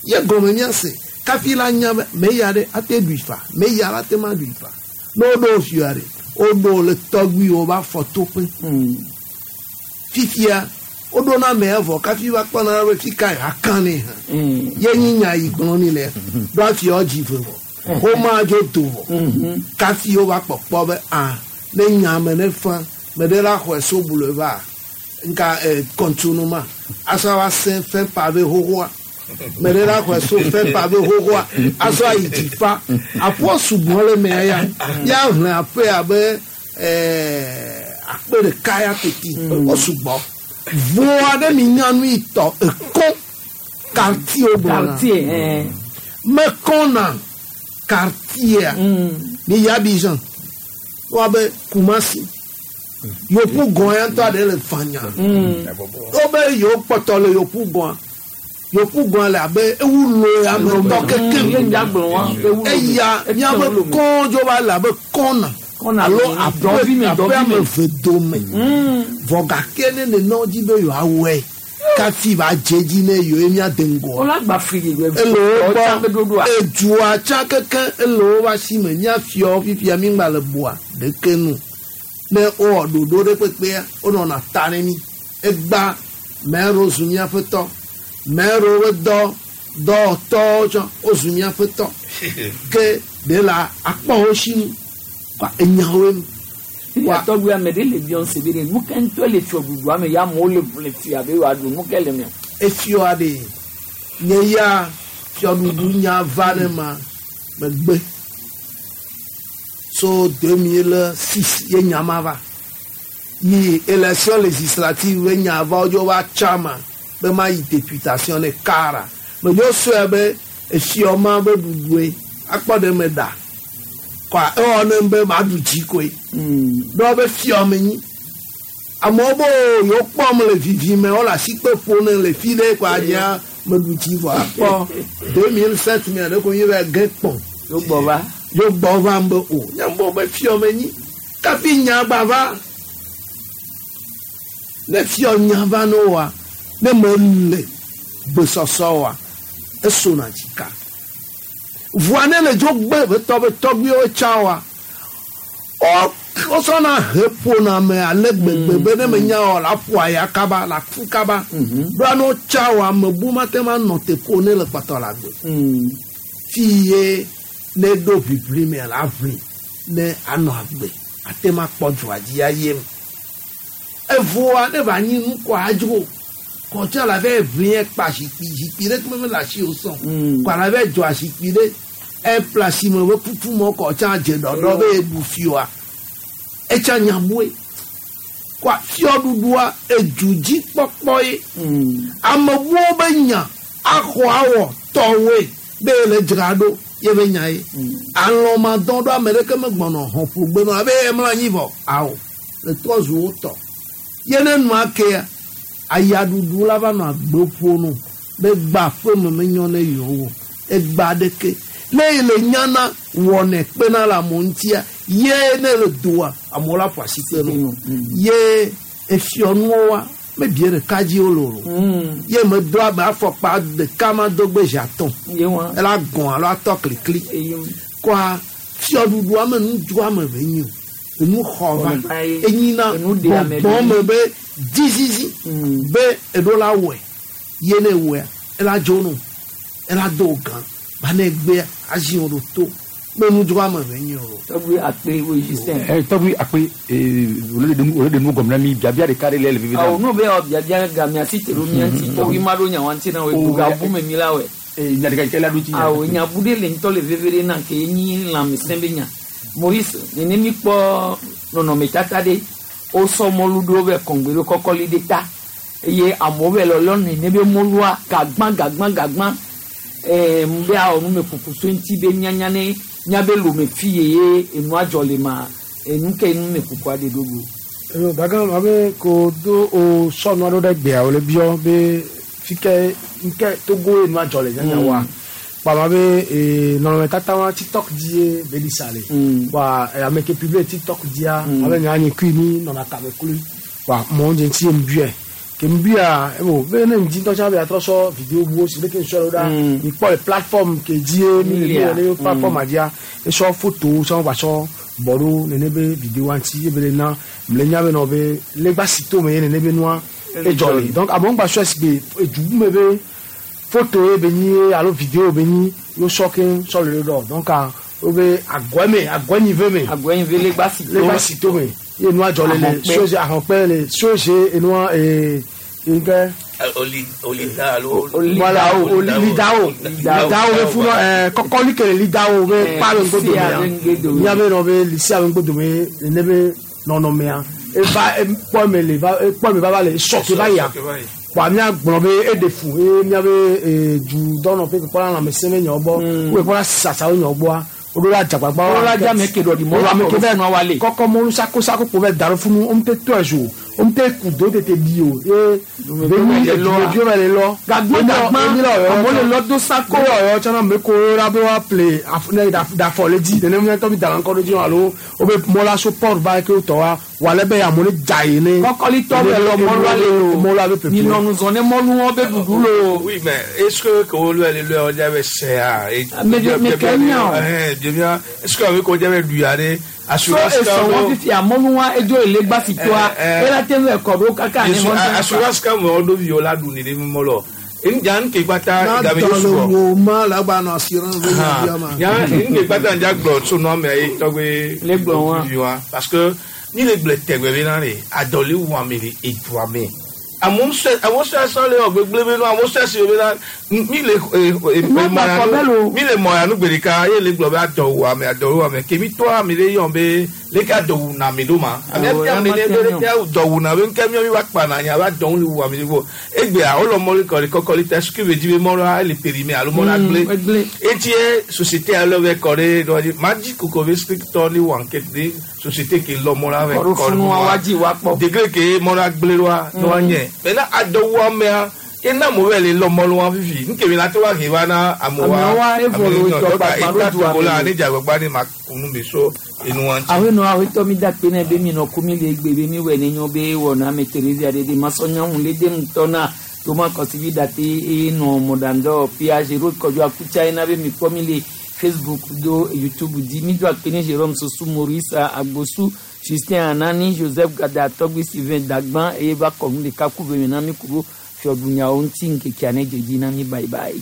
ye gɔme míase kafi la nya be me ya ɖe ate ɖui fa me ya la te ma ɖui fa ne woɖo fia ɖe woɖo le tɔgbuiwo va fɔtoƒe fifia woɖo na ame evɔ kafi va kpɔna be fi ka aka nɛ hã ye nyi nya yi gblɔ ni le ɖo afiɔ dzi ve vɔ woma dzo do vɔ kafi wova kpɔkpɔ be a ne nya me ne fa me ɖe la xɔe so bulu va nka kɔntunu ma asɔ va sẽ fɛn pave xoxoa me ɖe la xɔe so fɛn pave xoxoa asɔ ayi dzi fa aƒua sugbɔ le mea ya ya hlẽ aƒe abe akpe ɖeka ya teti wo sugbɔ voa ɖe mi nya nu yi tɔ ekɔ quartier gblɔna mekɔna quartier mi yi Abidjan woabe Kumasi yopu gɔn ya ŋutɔ aɖe le fanya wobe yewo kpɔtɔ le yopu gɔn Yoku gɔn le abe ewu lo ya me tɔ kekem. Ye ŋdza gblɔ wa, ewu lo me. Eya Etu miabe lo me. kɔn dzo va le abe kɔna. Kɔna alo me, aƒe dɔvi me, aƒe dɔvi ame me. eve dome. Vɔ gake ne nenɔ dzi be yewoawɔe kafi va dze dzi ne yewoe miade ŋgɔ. Wola gba fli Ele wo gbɔ edua tsã keke ele wo va si me míafiɔ fifia mi ŋgba le boa ɖeke nu ne wowɔ ɖoɖo ɖe kpekpea wonɔna ta ne mi egba mɛro zu míaƒe tɔ mɛro be dɔ dɔwɔtɔwo tsã wozu míaƒe tɔ ke ɖe la akpɔ wo si nu kpa enyawoe nu. Wa tɔgbi ame ɖe le biɔ se be ɖe nu ke ŋutɔ le fiɔɖuɖua me ya amewo le le fia be yewoaɖu nu ke le mea. Efiɔa ɖe nye ya fiɔɖuɖu nya va ne ma megbe so 2006 ye nya ma va yi élection législative be nya va wodzo va tsa ma be ma yi députation ne kara medzo sɔe be efiɔ ma be ɖuɖue akpɔ ɖe me ɖa kɔa ewɔ ne be ma ɖu dzi koe ɖɔ be fiɔ me nyi amewo be yewo kpɔm le vivi me wole asikpe ƒo ne le fi ɖe kɔa nyea meɖu dzi vɔ akpɔ 2007 mea ɖe ko nyi be ge kpɔn Yo gbɔ va. yo gbɔ va be o nyambo be fiɔ me nyi kafi nya gba va ne fiɔ nya va ne wa ne me le gbesɔsɔ wa esona dzika vɔa ne le dzo gbe be tɔ be tɔgbiwo tsã wa wo wosɔna he ƒona me ale gbegbe be ne me nya o la ƒo aya kaba la fu kaba ɖoa ne wotsa wa ame bu ma te ma nɔ te ƒo ne le kpɔtɔ le agbe fi ye ne ɖo ʋiʋli me la ʋli ne anɔ agbe ate ma kpɔ dzoa dzi aye me evoa ne va nyi nu kɔ adzro kɔtsa la va ʋli kpa zikpui zikpui ɖe kpe mele asi o sɔn kɔ la va dzɔ zikpui ɖe eƒle asi me be kuku mɔ kɔtsa dze ɖɔɖɔ be eɖu fioa etsa nyabue kɔ fiɔɖuɖua edu dzi kpɔkpɔ ye ame buwo be nya axɔ awɔ tɔwoe be le dzra ɖo ye be nya ye alɔ ma dɔn ɖo ame ɖeke megbɔnɔ hɔn ƒo gbe nɔ abe emlɔ anyi vɔ awo le trɔ zu wo tɔ ye ne nua kea ayaɖuɖu la va nɔ agbe ƒo no be gba ƒe me menyɔ ne yewo o egba ɖeke ne ye le nyana wɔnɛ kpena le amewo ŋutia ye ne le doa amewo la ƒo asi kpe no ye efiɔnuwo wa mebie ɖeka dzi wo le o ye medo abe afɔkpa ɖeka ma do gbe zi atɔ̃ ela gɔn alo atɔ klikli kɔa fiɔɖuɖua me nudzroame be nyi o enu xɔ va enyina gbɔgbɔ me be dzizizi be eɖo la wɔe ye ne wɔea ela dzo no ela do gã ba ne gbea azi wo ɖo to be nudzroame be nyi o. Tɔgbi akpe wo Justin. Tɔgbi akpe wòle ɖe nu gɔme na mi biabia ɖeka ɖe le le vivi Awo n'o bɛ yɔ biabia game asi te ɖo mía ŋuti tɔgbi ma ɖo nya wa ŋuti na wo edu gabu me mi la wɛ. Nya ɖeka yi ke la ɖo dzi. Awo nyabu ɖe le ŋutɔ le veve ɖe na ke nyi lãmesẽ be nya. Maurice nene mi kpɔ nɔnɔmetata ɖe wosɔ mɔlu ɖewo bɛ kɔngbɛ ɖo kɔkɔli ɖe ta eye amewo bɛ lɔlɔ nene be mɔlua gagbã gagbã gagbã ɛɛ be awɔ numekuku so ŋuti be nyanya ne miabe lome fi ye ye enua dzɔ le ma enu ke numekukua ɖe ɖo go. Elo daga abe ko do o sɔnu aɖewo ɖe gbea wòle biɔ be fi ke nke Togo ye nua dzɔ le nyanya wa. Kpama be nɔnɔmetata wa TikTok dzi ye be ɖi sa le. Wa ame ke publie TikTok dzia abe nya nye kui mi nɔna kame kloe. Wa mɔ dze ŋuti ye ŋbuyɛ. Ke ŋbuya ebo be ne ŋdi ŋutɔ tsã be atrɔ sɔ vidéo buwo si leke ŋsɔ ɖo ɖa mi kpɔ le plateforme ke dzi ye mi le mi wɔ ne plateforme dzia esɔ photo sɔ va sɔ bɔ ɖo nene be vidéo wa ŋuti ye be le na mle nya be nɔ be legba si to me ye nene be nua edzɔ le donc amewo ŋgba sɔe si be edu bu me be photo ye be nyi alo vidéo be nyi yo sɔ ke sɔ le ɖo donc wo be agɔe me agɔe me agɔe legba si to legba si to me ye nua dzɔ le le soze ahɔkpɛ le soze enua ee nke. Olida alo. Voilà, o lidawo lidawo be funɔ kɔkɔli kele lidawo be kpa be ŋgodomea miabe nɔ be lisia be ŋgodome ne be nɔnɔmea eva ekpɔ me le va ekpɔ me va va le sɔke va yia kpɔa mía gblɔ be eɖe fu eye miabe dudɔnɔƒe kpɔla lãmesẽ be nyawo gbɔ wo kpɔla sasawo nyawo gbɔa woɖo la dzagbagba Wo la dza ame ke ɖɔ ɖi mɔlu ame ke akɔ bɛ funu wa le. Kɔkɔ mɔlu sako sako kpo bɛ da ɖo funu wo ŋutɔ tɔe zo. Womte ku do tete bi o ye Dumeviwo le lɔa. dumeviwo va le lɔ. Gagbã gagbã, amewo le lɔ do sako. Ko ɔyɔ tsana me ko la be wa ple af ne da dafɔ le dzi nenem ŋutɔ mi da ŋkɔ ɖo dzi alo wobe mɔla so port va ke wotɔ wa wòale be amewo ne dza yi ne. Kɔkɔlitɔ be lɔ mɔlua le o. Mɔlua be ƒeƒle. Minɔ nuzɔ ne mɔluwo be ɖuɖu lo. Oui, mais est-ce que que wo le le o diabe c'est et Mais mais Kenya o. Eh, bien, est-ce que avec o diabe lui aller So esɔ wɔn fifi amɔluwa edzo ele gbasi toa ela te ŋu ɛkɔ ɖo kaka ne hɔn. Assurance ka mo do vi o la du ni de mo lo. En jan ke kpata Na gabe dɔ le so. wo ma la gba nɔ assurance be nya bia ma. Ya en ke kpata nja gblɔ so no me ayi tɔgbe Le gblɔ wa. vi wa parce que ni le gblɔ tɛgbɛ be na le adɔli wu ame le edu ame. Amewo sɛ le ɔgbegble be nu amewo sɛ si be na mi le mi le mɔya nu gbe ɖeka ye le gblɔ be adɔ wu ame adɔ wu ame ke mi tɔ ame ɖe yɔ be leke adɔ wu na ame ɖo ma ame tia ame ɖe be leke adɔ wu na be nke miɔ mi va kpa na nya be adɔ wu le wu ame ɖe fo egbea wole mɔli kɔ le kɔkɔli tɛ suku be dzi be mɔlua ele périmé alo mɔlua gblẽ etie société alɔ bɛ kɔ ɖe dɔ dzi ma dzi koko be scriptɔ ni wɔ enquête de société ke lɔ mɔlua bɛ Kɔɖo funu wa wa dzi wa kpɔ. degré ke mɔlua gblẽ ɖoa ne wa nyɛ maintenant adɔwu amea ke na mo bɛ le lɔ mɔlua fifi nke mi la te wa he va na amewa Amewa evɔ le wotɔ kpakpa ɖo du ame ame. la ne dzagbagba ne ma kunu be so enua ŋuti. Awenɔ awetɔ mi da kpe nɛ be mi nɔ ku mi le egbe be mi wɔ ne nyɔ be wɔna ame Teresa ɖe de masɔnya ŋu le de ŋutɔ na toma kɔsivi da te eye nɔ mɔɖaŋdɔ fia Jérôme Kɔdzo Akutsa yina be mi kpɔ mi le Facebook do YouTube dzi mi do akpe ne Jérôme Sosu Maurice Agbosu Justin Anani Joseph Gada Tɔgbi Sylvain Dagban eye va kɔ nu ɖeka ku be mi na mi ku ɖo fiɔɖunyawo ŋuti ŋkekea ne dzedzi na mi bye bye.